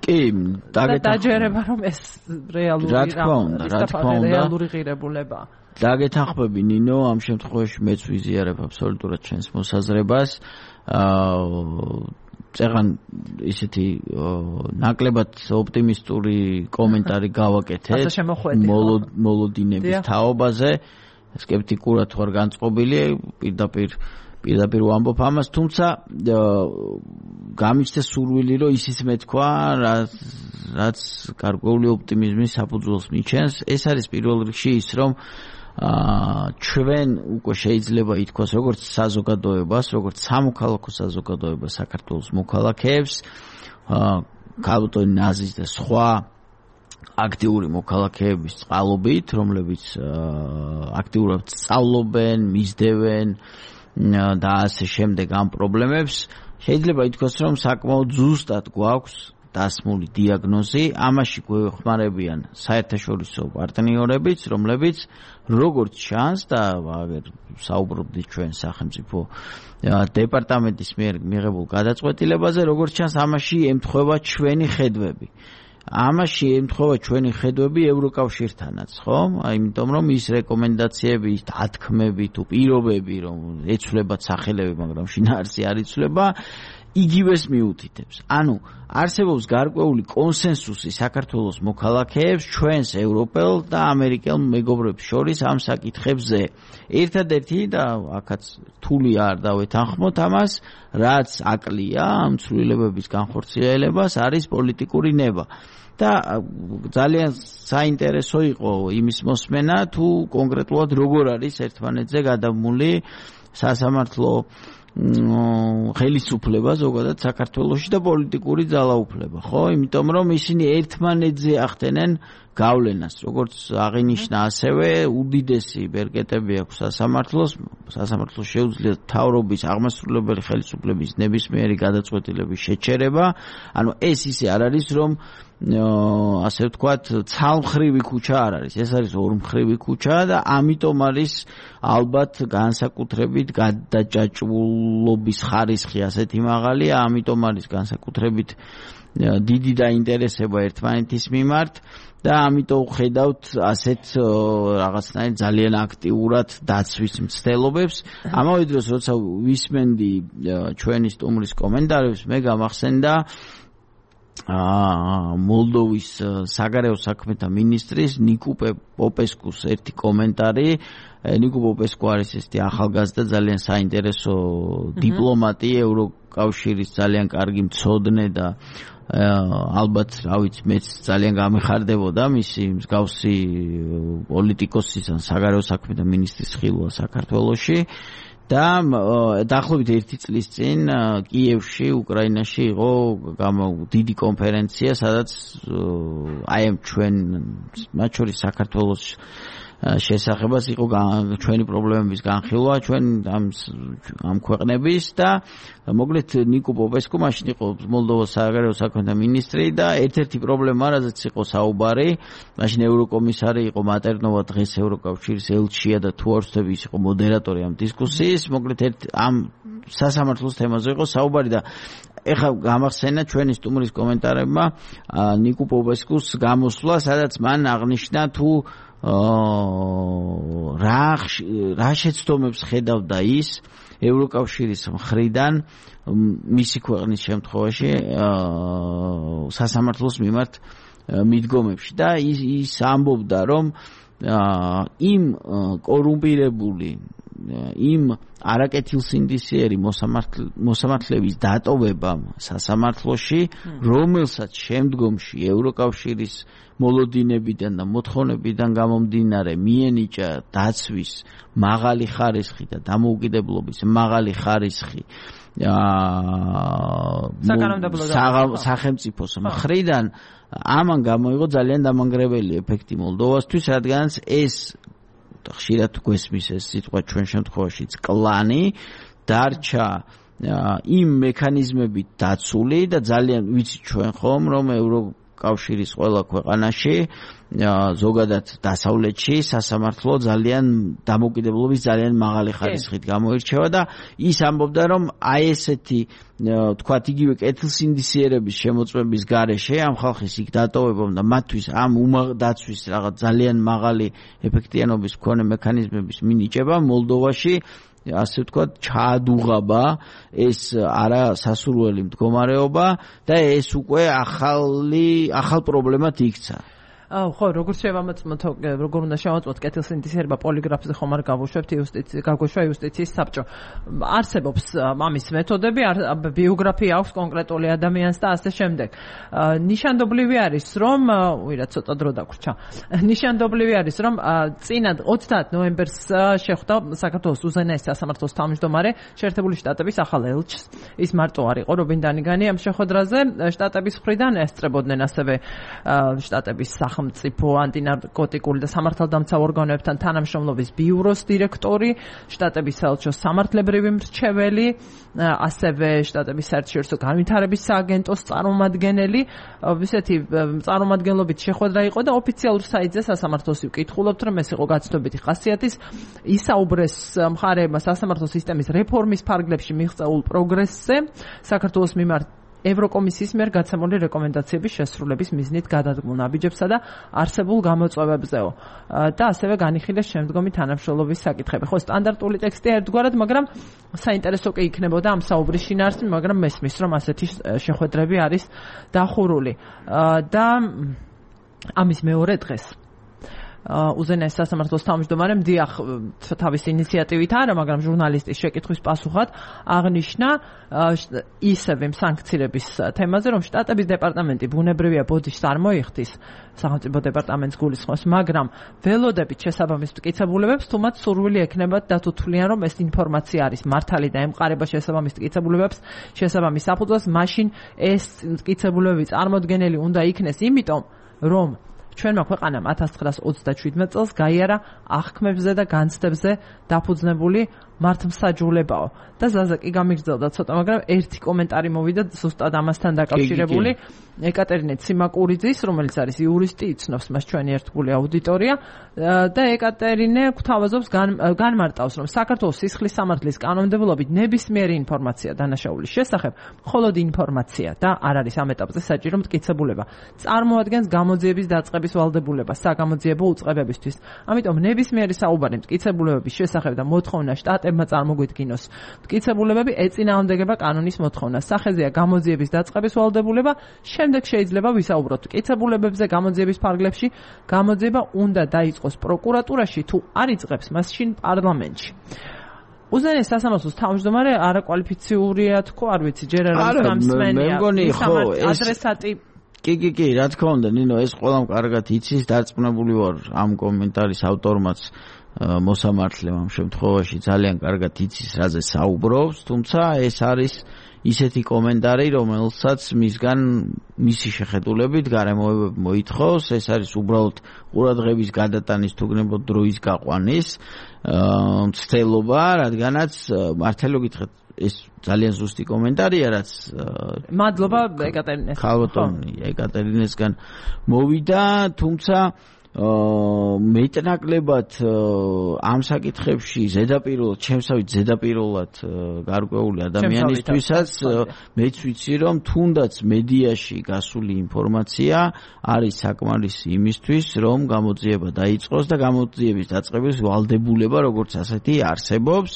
[SPEAKER 2] კი,
[SPEAKER 1] დაჯერება რომ ეს რეალური
[SPEAKER 2] რა თქმა უნდა,
[SPEAKER 1] რეალური ღირებულებაა.
[SPEAKER 2] დაგეთანხმები ნინო, ამ შემთხვევაში მეც ვიზიარებ აბსოლუტურად ჩვენს მოსაზრებას. წეგან ისეთი ნაკლებად ოპტიმისტური კომენტარი გავაკეთეთ მოლოდინების თაობაზე. Skeptikurat ვარ განწყობილი, პირდაპირ ვამბობ ამას, თუმცა გამიჩნდა სურვილი, რომ ისიც მეთქვა, რაც გარკვეული ოპტიმიზმის საფუძველს მიჩენს. ეს არის პირველ რიგში ის, რომ ჩვენ უკვე შეიძლება ითქვას, როგორც საზოგადოებას, როგორც სამოქალაქო საზოგადოებას საქართველოს მოქალაქეებს, ქალბატონი ნაზის და სხვა აქტიური მოქალაქეების წყალობით, რომლებიც აქტიურად სწავლობენ, მისდევენ და ასე შემდეგ ამ პრობლემებს, შეიძლება ითქვას, რომ საკმაოდ ზუსტად გვაქვს დასმული დიაგნოზი, ამაში გვეხმარებიან საერთაშორისო პარტნიორებიც, რომლებიც როგორც ჩანს და საუბრობდით ჩვენ სახელმწიფო დეპარტამენტის მიერ მიღებულ გადაწყვეტილებაზე, როგორც ჩანს ამაში ემთხვევა ჩვენი ხედვები. ამაში ემთხვევა ჩვენი ხედვები ევროკავშირთანაც, ხო? იმიტომ რომ ის რეკომენდაციები, ის დათქმები თუ პირობები, რომ ეცვლებათ სახელები, მაგრამ შინაარსი არ იცვლება, იგივეს მიუთითებს. ანუ არსებობს გარკვეული კონსენსუსი საქართველოს მოქალაქეებს, ჩვენს ევროპელ და ამერიკელ მეგობრებს შორის ამ საკითხებზე. ერთადერთი და აქაც თული არ დავეთანხმოთ ამას, რაც აკლია ამ ცვლილებების განხორციელებას, არის პოლიტიკური ნება. და ძალიან საინტერესო იყო იმის მოსმენა, თუ კონკრეტულად როგორ არის ერთმანეთზე გადამული სასამართლო ხელისუფლება ზოგადად საქართველოში და პოლიტიკური ძალაუფლება, ხო? იმიტომ რომ ისინი ერთმანეთზე ახდენენ გავლენას, როგორც აღინიშნა, ასევე უდიდესი ბერკეტები აქვს სასამართლოს შეუძლია მთავრობის აღმასრულებელი ხელისუფლების ნებისმიერი გადაწყვეტილების შეჩერება. ანუ ეს ისე არ არის, რომ ასე ვთქვათ, ცალმხრივი ქუჩა არ არის. ეს არის ორმხრივი ქუჩა და ამიტომ არის ალბათ განსაკუთრებით გადაჭაჭულობის ხარისხი ასეთი მაღალია, ამიტომ არის განსაკუთრებით დიდი დაინტერესება ერთმანეთის მიმართ და ამიტომ ხედავთ ასეთ რაღაცნაირ ძალიან აქტიურად დაცვის მცდელობებს. ამავე დროს როცა ვისმენდი ჩვენი სტუმრის კომენტარებს, მე გამახსენდა მოლდოვის საგარეო საქმეთა მინისტრის ნიკო პოპესკუს ერთი კომენტარი. ნიკო პოპესკუ არის ესეთი ახალგაზრდა, ძალიან საინტერესო დიპლომატი, ევროკავშირის ძალიან კარგი მცოდნე და ალბათ, რა ვიცი, მეც ძალიან გამეხარდებოდა მისი მსგავსი პოლიტიკოსის ან საგარეო საქმეთა მინისტრის ხილვა საქართველოში. და დაახლოებით 1 წლის წინ კიევში, უკრაინაში იყო დიდი კონფერენცია, სადაც აი ამ ჩვენ მათ შორის საქართველოს შესახებას იყო ჩვენი პრობლემების განხილვა, ჩვენ ამ ქვეყნების და მოკლედ ნიკო პოპესკუ მაშინ იყო მოლდოვას საგარეო საქმეთა მინისტრი და ერთ-ერთი პრობლემა, რაზეც იყო საუბარი, მაშინ ევროკომისარი იყო მატერნოვა, დღეს ევროკავშირის ელჩია და თუ არ ვცდები, ის იყო მოდერატორი ამ დისკუსიის. მოკლედ ამ სასამართლოს თემაზე იყო საუბარი და ეხლა გამახსენა ჩვენი სტუმრის კომენტარებმა ნიკო პოპესკუს გამოსვლა, სადაც მან აღნიშნა თუ რა შეცდომებს ხედავდა ის ევროკავშირის მხრიდან მისი ქვეყნის შემთხვევაში სასამართლოს მიმართ მიდგომებში და ის ამბობდა, რომ იმ კორუმპირებული, იმ არაკეთილსინდისიერი მოსამართლეების დატოვება სასამართლოში, რომელსაც შემდგომში ევროკავშირის მოლოდინებიდან და მოთხოვნებიდან გამომდინარე მიენიჭა დაცვის მაღალი ხარისხი და დამოუკიდებლობის მაღალი ხარისხი სახელმწიფოს მხრიდან, ამან გამოიღო ძალიან დამანგრეველი ეფექტი მოლდოვასთვის, რადგანაც ეს ხშირად გვესმის ეს სიტყვა ჩვენ შემთხვევაშიც კლანი დარჩა იმ მექანიზმებით დაცული და ძალიან ვიცით ჩვენ ხომ, რომ ევროკავშირის ყველა ქვეყანაში ზოგადად დასავლეთში სასამართლო ძალიან დამოუკიდებლობის ძალიან მაღალი ხარისხით გამოირჩევა და ის ამბობდა, რომ აი ესეთი თქვათ იგივე კეთილსინდისიერების შემოწმების გარეშე ამ ხალხის იქ დატოვებამ და მათთვის ამ დაცვის რაღაც ძალიან მაღალი ეფექტიანობის მქონე მექანიზმების მინიჭება მოლდოვაში ასე ვთქვათ ჩაადუღაბა ეს არასასურველი მდგომარეობა და ეს უკვე ახალ პრობლემად იქცა.
[SPEAKER 1] ხო, როგორც შევამოწმოთ, როგორ უნდა შევამოწმოთ კეთილსინდისიერება პოლიგრაფზე ხომ არ გავუშვებთ იუსტიციის საბჭო. არსებობს ამის მეთოდები, ბიოგრაფია აქვს კონკრეტული ადამიანს და ასე შემდეგ. ნიშანდობლივი არის, რომ ცოტა დრო დაგვრჩა. ნიშანდობლივი არის, რომ წინათ 30 ნოემბერს შეხვდა საქართველოს უზენაესი სასამართლოს თავმჯდომარე შეერთებული შტატების ახალ ელჩს. ის მარტო არ იყო რობინ დანიგანი ამ შეხვედრაზე, შტატების მხრიდან ესწრებოდნენ ასევე შტატების სახელმწიფო ანტინარკოტიკული და სამართალდამცავ ორგანოებთან თანამშრომლობის ბიუროს დირექტორი, შტატების საელჩოს სამართლებრივი მრჩეველი, ასევე შტატების საერთაშორისო განვითარების სააგენტოს წარმომადგენელი. ისეთი წარმომადგენლობით შეხვედრა იყო და ოფიციალურ საიტზე სასამართლოს ვკითხულობთ, რომ ეს იყო გაცნობიტი ხასიათის. ისაუბრეს მხარეებმა სასამართლო სისტემის რეფორმის ფარგლებში მიღწეულ პროგრესზე, საქართველოს მიმართ ევროკომისიის მიერ გაცემული რეკომენდაციების შესრულების მიზნით გადადგმულ ნაბიჯებსა და არსებულ გამოწვევებზეო და ასევე განიხილეს შემდგომი თანამშრომლობის საკითხები. ხო, სტანდარტული ტექსტია ერთგვარად, მაგრამ საინტერესო კი იქნებოდა ამ საუბრის შინაარსი, მაგრამ მესმის, რომ ასეთი შეხვედრები არის დახურული და ამის მეორე დღეს უზენაეს სასამართლოს თავმჯდომარემ დიახ თავის ინიციატივით არა, მაგრამ ჟურნალისტის შეკითხვის პასუხად აღნიშნა ისევ სანქციების თემაზე, რომ შტატების დეპარტამენტი ბუნებრივია ბოდიშს არ მოიხდის, სახელმწიფო დეპარტამენტს გულისხმობს, მაგრამ ველოდებით შესაბამის მტკიცებულებებს, თუმცა სურვილი ექნებათ დათუთვლიან, რომ ეს ინფორმაცია არის მართალი და ემყარება შესაბამის მტკიცებულებებს, შესაბამის საფუძველს, მაშინ ეს მტკიცებულებები წარმოდგენელი უნდა იქნეს, იმიტომ რომ ჩვენმა ქვეყანამ 1937 წელს გაიარა აღქმებზე და განცდებზე დაფუძნებული მართლმსაჯულებაო და ზაზა კი გამიგრძელდა ცოტა, მაგრამ ერთი კომენტარი მოვიდა ზუსტად ამასთან დაკავშირებული ეკატერინე ციმაკურიძის, რომელიც არის იურისტი, იცნობს მას ჩვენი ერთგული აუდიტორია და ეკატერინე გვთავაზობს განმარტავს, რომ საქართველოს სისხლის სამართლის კანონმდებლობით ნებისმიერი ინფორმაცია დანაშაულის შესახებ მხოლოდ ინფორმაცია და არ არის ამ ეტაპზე საჭირო მტკიცებულება. წარმოადგენს გამოძიების დაწყების ვალდებულებას საგამოძიებო უწყებებისთვის. ამიტომ ნებისმიერი საუბარი მტკიცებულებების შესახებ და მოთხოვნა შტატებმა წარმოგვიდგინოს მტკიცებულებები ეწინააღმდეგება კანონის მოთხოვნას. სახეზეა გამოძიების დაწყების ვალდებულება, შემდეგ შეიძლება ვისაუბროთ მტკიცებულებებზე გამოძიების ფარგლებში. გამოძიება უნდა დაიწყოს პროკურატურაში, თუ არ იწყებს, მაშინ პარლამენტში. უზენაეს სასამართლოს თავმჯდომარე არაკვალიფიციურია თქო, არ ვიცი, ჯერ არ გამსმენია. ადრესატი
[SPEAKER 2] კი, რა თქმა უნდა, ნინო, ეს ყველამ კარგად იცის, დარწმუნებული ვარ ამ კომენტარის ავტორმაც მოსამართლემ ამ შემთხვევაში ძალიან კარგად იცის, რაზე საუბრობს, თუმცა ეს არის ისეთი კომენტარი, რომელსაც მისგან მისი შეხედულებით გარემოებები მოითხოვს, ეს არის უბრალოდ ყურადღების გადატანის თუ გნებოდ დროის გაყვანის მცდელობა, რადგანაც მართლა გითხრათ ეს ძალიან ზუსტი კომენტარია, რაც
[SPEAKER 1] მადლობა ეკატერინეს.
[SPEAKER 2] ხალბატონი ეკატერინესგან მოვიდა, თუმცა მეტნაკლებად ამ საკითხებში ზედაპირულად, ჩემსავით ზედაპირულად გარკვეული ადამიანისთვისაც მეც ვიცი, რომ თუნდაც მედიაში გასული ინფორმაცია არის საკმარისი იმისთვის, რომ გამოძიება დაიწყოს და გამოძიების დაწყების ვალდებულება როგორც ასეთი არსებობს.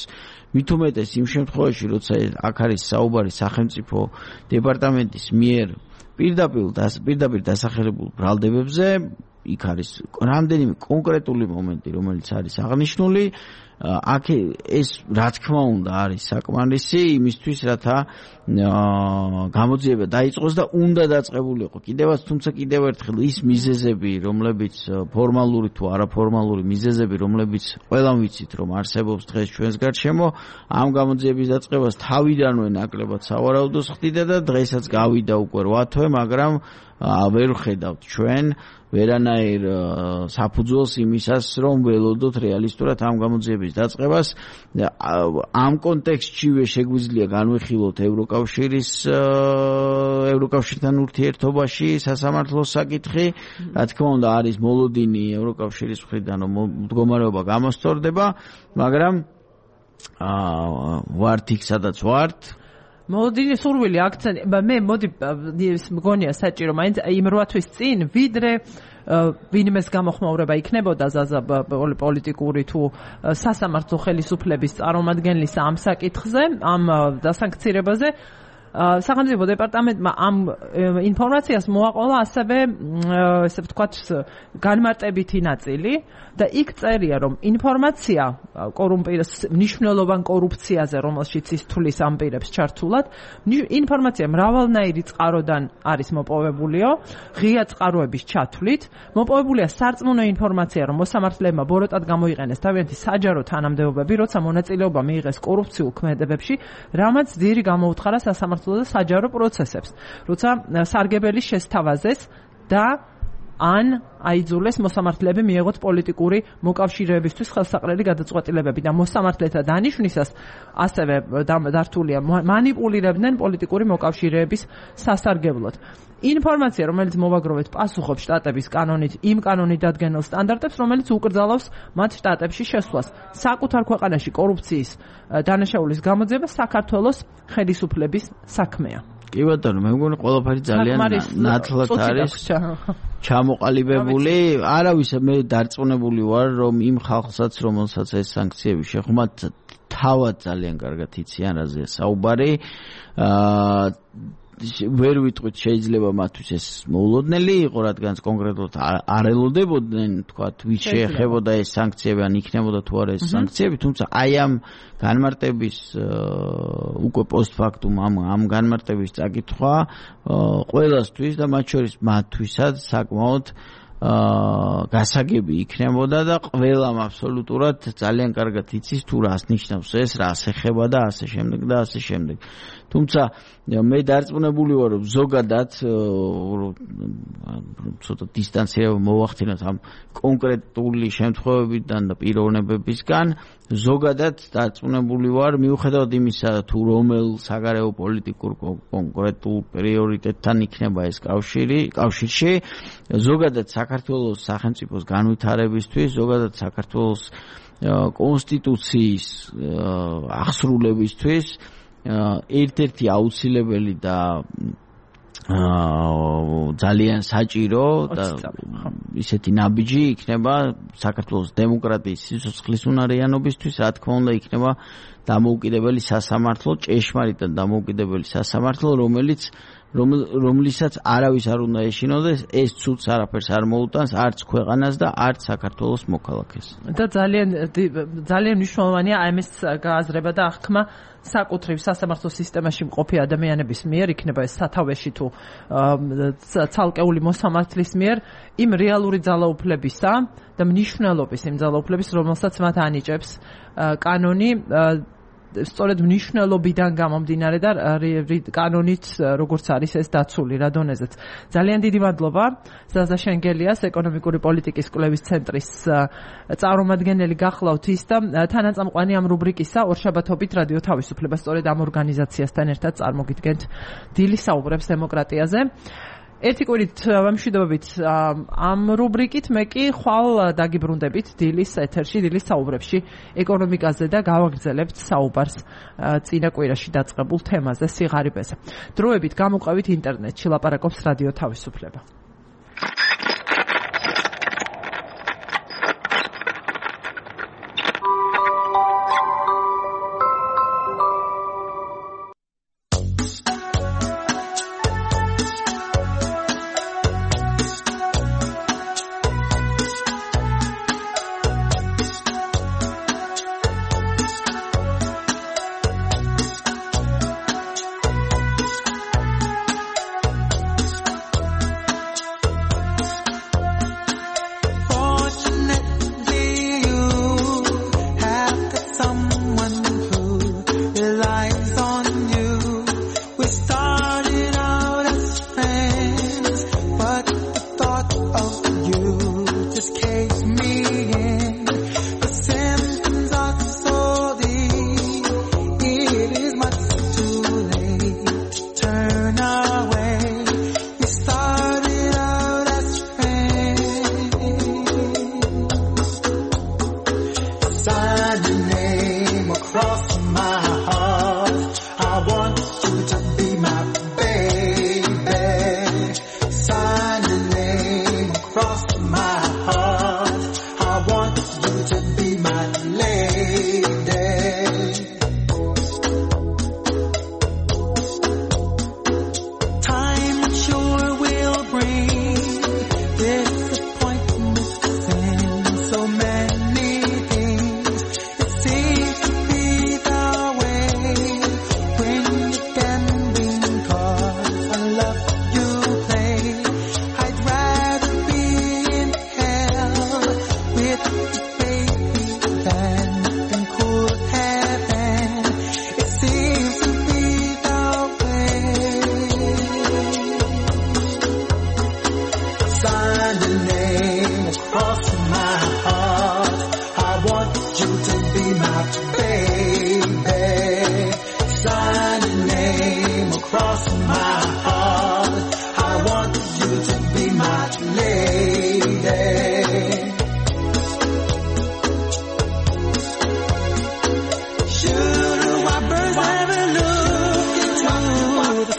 [SPEAKER 2] მით უმეტეს იმ შემთხვევაში, როცა აქ არის საუბარი სახელმწიფო დეპარტამენტის მიერ პირდაპირ დასახელებულ ბრალდებებზე, იქ არის რამდენიმე კონკრეტული მომენტი, რომელიც არის აღნიშნული, აქ ეს რა თქმა უნდა არის საკმარისი იმისთვის, რათა გამოძიება დაიწყოს და უნდა დაწყებულიყო. თუმცა კიდევ ერთხელ ის მიზეზები, რომლებიც ფორმალური თუ არაფორმალური მიზეზები, რომლებიც ყველამ ვიცით, რომ არსებობს დღეს ჩვენს გარშემო, ამ გამოძიების დაწყებას თავიდანვე ნაკლებად სავარაუდოს ხდიდა და დღესაც გავიდა უკვე 8 თვე, მაგრამ ვერ ხედავთ ჩვენ ვერანაირ საფუძველს იმისას, რომ ველოდოთ რეალისტურად ამ გამოძიების დაწყებას. ამ კონტექსტშივე შეგვიძლია განვიხილოთ ევროკავშირთან ურთიერთობაში სასამართლოს საკითხი. რა თქმა უნდა, არის მოლოდინი ევროკავშირის მხრიდან, რომ მდგომარეობა გამოსწორდება, მაგრამ ვართ იქ, სადაც ვართ.
[SPEAKER 1] მოლოდინი სურვილი აქცენტი, მე მოდი მგონია საჭირო მაინც იმ 8 თვის წინ, ვიდრე ვინმეს გამოხმაურება იქნებოდა ზაზა პოლიტიკური თუ სასამართლო ხელისუფლების წარმომადგენლის ამ საკითხზე, ამ დასანქცირებაზე, სახელმწიფო დეპარტამენტმა ამ ინფორმაციას მოაყოლა ასევე, ესე ვთქვათ, განმარტებითი ნაწილი და იქ წერია, რომ ინფორმაცია მნიშვნელოვან კორუფციაზე, რომელშიც ის თulis ამ პირებს ჩართულად, ინფორმაცია მრავალნაირი წყაროდან არის მოპოვებულიო, ღია წყაროების ჩათვლით, მოპოვებულია სარწმუნო ინფორმაცია, რომ მოსამართლეებმა ბოროტად გამოიყენეს თავიანთი საჯარო თანამდებობები, როცა მონაწილეობა მიიღეს კორუფციულ ქმედებებში, რამაც ძირი გამოუთხარა სასამართლო და საჯარო პროცესებს, როცა სარგებელი შესთავაზეს და ან აიძულეს მოსამართლეები მიეღოთ პოლიტიკური მოკავშირეებისთვის ხელსაყრელი გადაწყვეტილებები და მოსამართლეთა დანიშვნისას ასევე დართულია მანიპულირებდნენ პოლიტიკური მოკავშირეების სასარგებლოდ. ინფორმაცია, რომელიც მოვაგროვეთ, პასუხობს შტატების კანონით, იმ კანონით დადგენილ სტანდარტებს, რომელიც უკრძალავს მათ შტატებში შესვლას. საკუთარ ქვეყანაში კორუფციის დანაშაულის გამოძიება საქართველოს ხელისუფლების საქმეა.
[SPEAKER 2] კი ბატონო, მე მგონი ყველაფერი ძალიან ნათლად არის ჩამოყალიბებული. არავის მე დარწმუნებული ვარ, რომ იმ ხალხსაც, რომელსაც ეს სანქციები შეხმათ, თავად ძალიან კარგად იციან რაზეა საუბარი. ვერ ვიტყვით შეიძლება მათთვის ეს მოულოდნელი იყო, რადგან კონკრეტულად არ ელოდებოდნენ, თქვათ, ვის შეეხებოდა ეს სანქციები, ან იქნებოდა თუ არა ეს სანქციები, თუმცა აი ამ განმარტების უკვე პოსტფაქტუმ ამ განმარტების წაკითხვა ყველასთვის და მათ შორის მათთვისაც საკმაოდ გასაგები იქნებოდა და ყველამ აბსოლუტურად ძალიან კარგად იცის თუ რას ნიშნავს ეს, რას ეხება და ასე შემდეგ და ასე შემდეგ. თუმცა მე დარწმუნებული ვარ, რომ ზოგადად ცოტა დისტანცირება მოვახდინოთ ამ კონკრეტული შემთხვევებიდან და პიროვნებებისგან, ზოგადად დარწმუნებული ვარ, მიუხედავად იმისა, თუ რომელ საგარეო პოლიტიკურ კონკრეტულ პრიორიტეტთან იქნება ეს კავშირში, ზოგადად საქართველოს სახელმწიფოს განვითარებისთვის, ზოგადად საქართველოს კონსტიტუციის აღსრულებისთვის ერთ-ერთი აუცილებელი და ძალიან საჭირო და ისეთი ნაბიჯი იქნება საქართველოს დემოკრატიის სიცოცხლის უნარიანობისთვის, რა თქმა უნდა, იქნება დამოუკიდებელი სასამართლო, ჭეშმარიტად დამოუკიდებელი სასამართლო, რომლისაც არავის არ უნდა ეშინოდეს, ეს ცუდს არაფერს არ მოუტანს, არც ქვეყანას და არც საქართველოს მოქალაქეს.
[SPEAKER 1] და ძალიან მნიშვნელოვანია ამის გააზრება და აღქმა საკუთრივ სასამართლო სისტემაში მყოფი ადამიანების მიერ, იქნება ეს სათავეში თუ ცალკეული მოსამართლის მიერ, იმ რეალური ძალაუფლებისა და მნიშვნელობის იმ ძალაუფლების, რომელსაც მათ ანიჭებს კანონი, სწორედ მნიშვნელობიდან გამომდინარე და კანონით როგორც არის ეს დაცული რა დონეზეც. ძალიან დიდი მადლობა ზაზა შენგელიას, ეკონომიკური პოლიტიკის კვლევის ცენტრის წარმომადგენელი გახლავთ ის და თანაწამყვანი ამ რუბრიკისა ორშაბათობით რადიო თავისუფლება სწორედ ამ ორგანიზაციასთან ერთად წარმოგიდგენთ დილის საუბრებს დემოკრატიაზე. ერთი კვირით ვამშვიდობებით ამ რუბრიკით, მე კი ხვალ დაგიბრუნდებით დილის ეთერში, დილის საუბრებში ეკონომიკაზე და გავაგრძელებთ საუბარს წინა კვირაში დაწყებულ თემაზე, სიღარიბეზე. დროებით გამოყვებით ინტერნეტში, ლაპარაკობს რადიო თავისუფლება.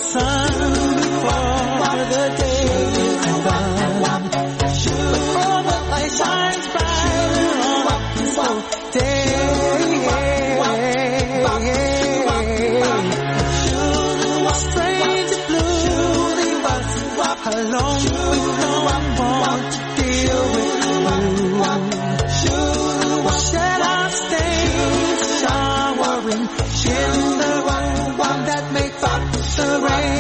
[SPEAKER 4] Sun alone with no one to deal with you. Should I stay showering in the one that makes up the rain?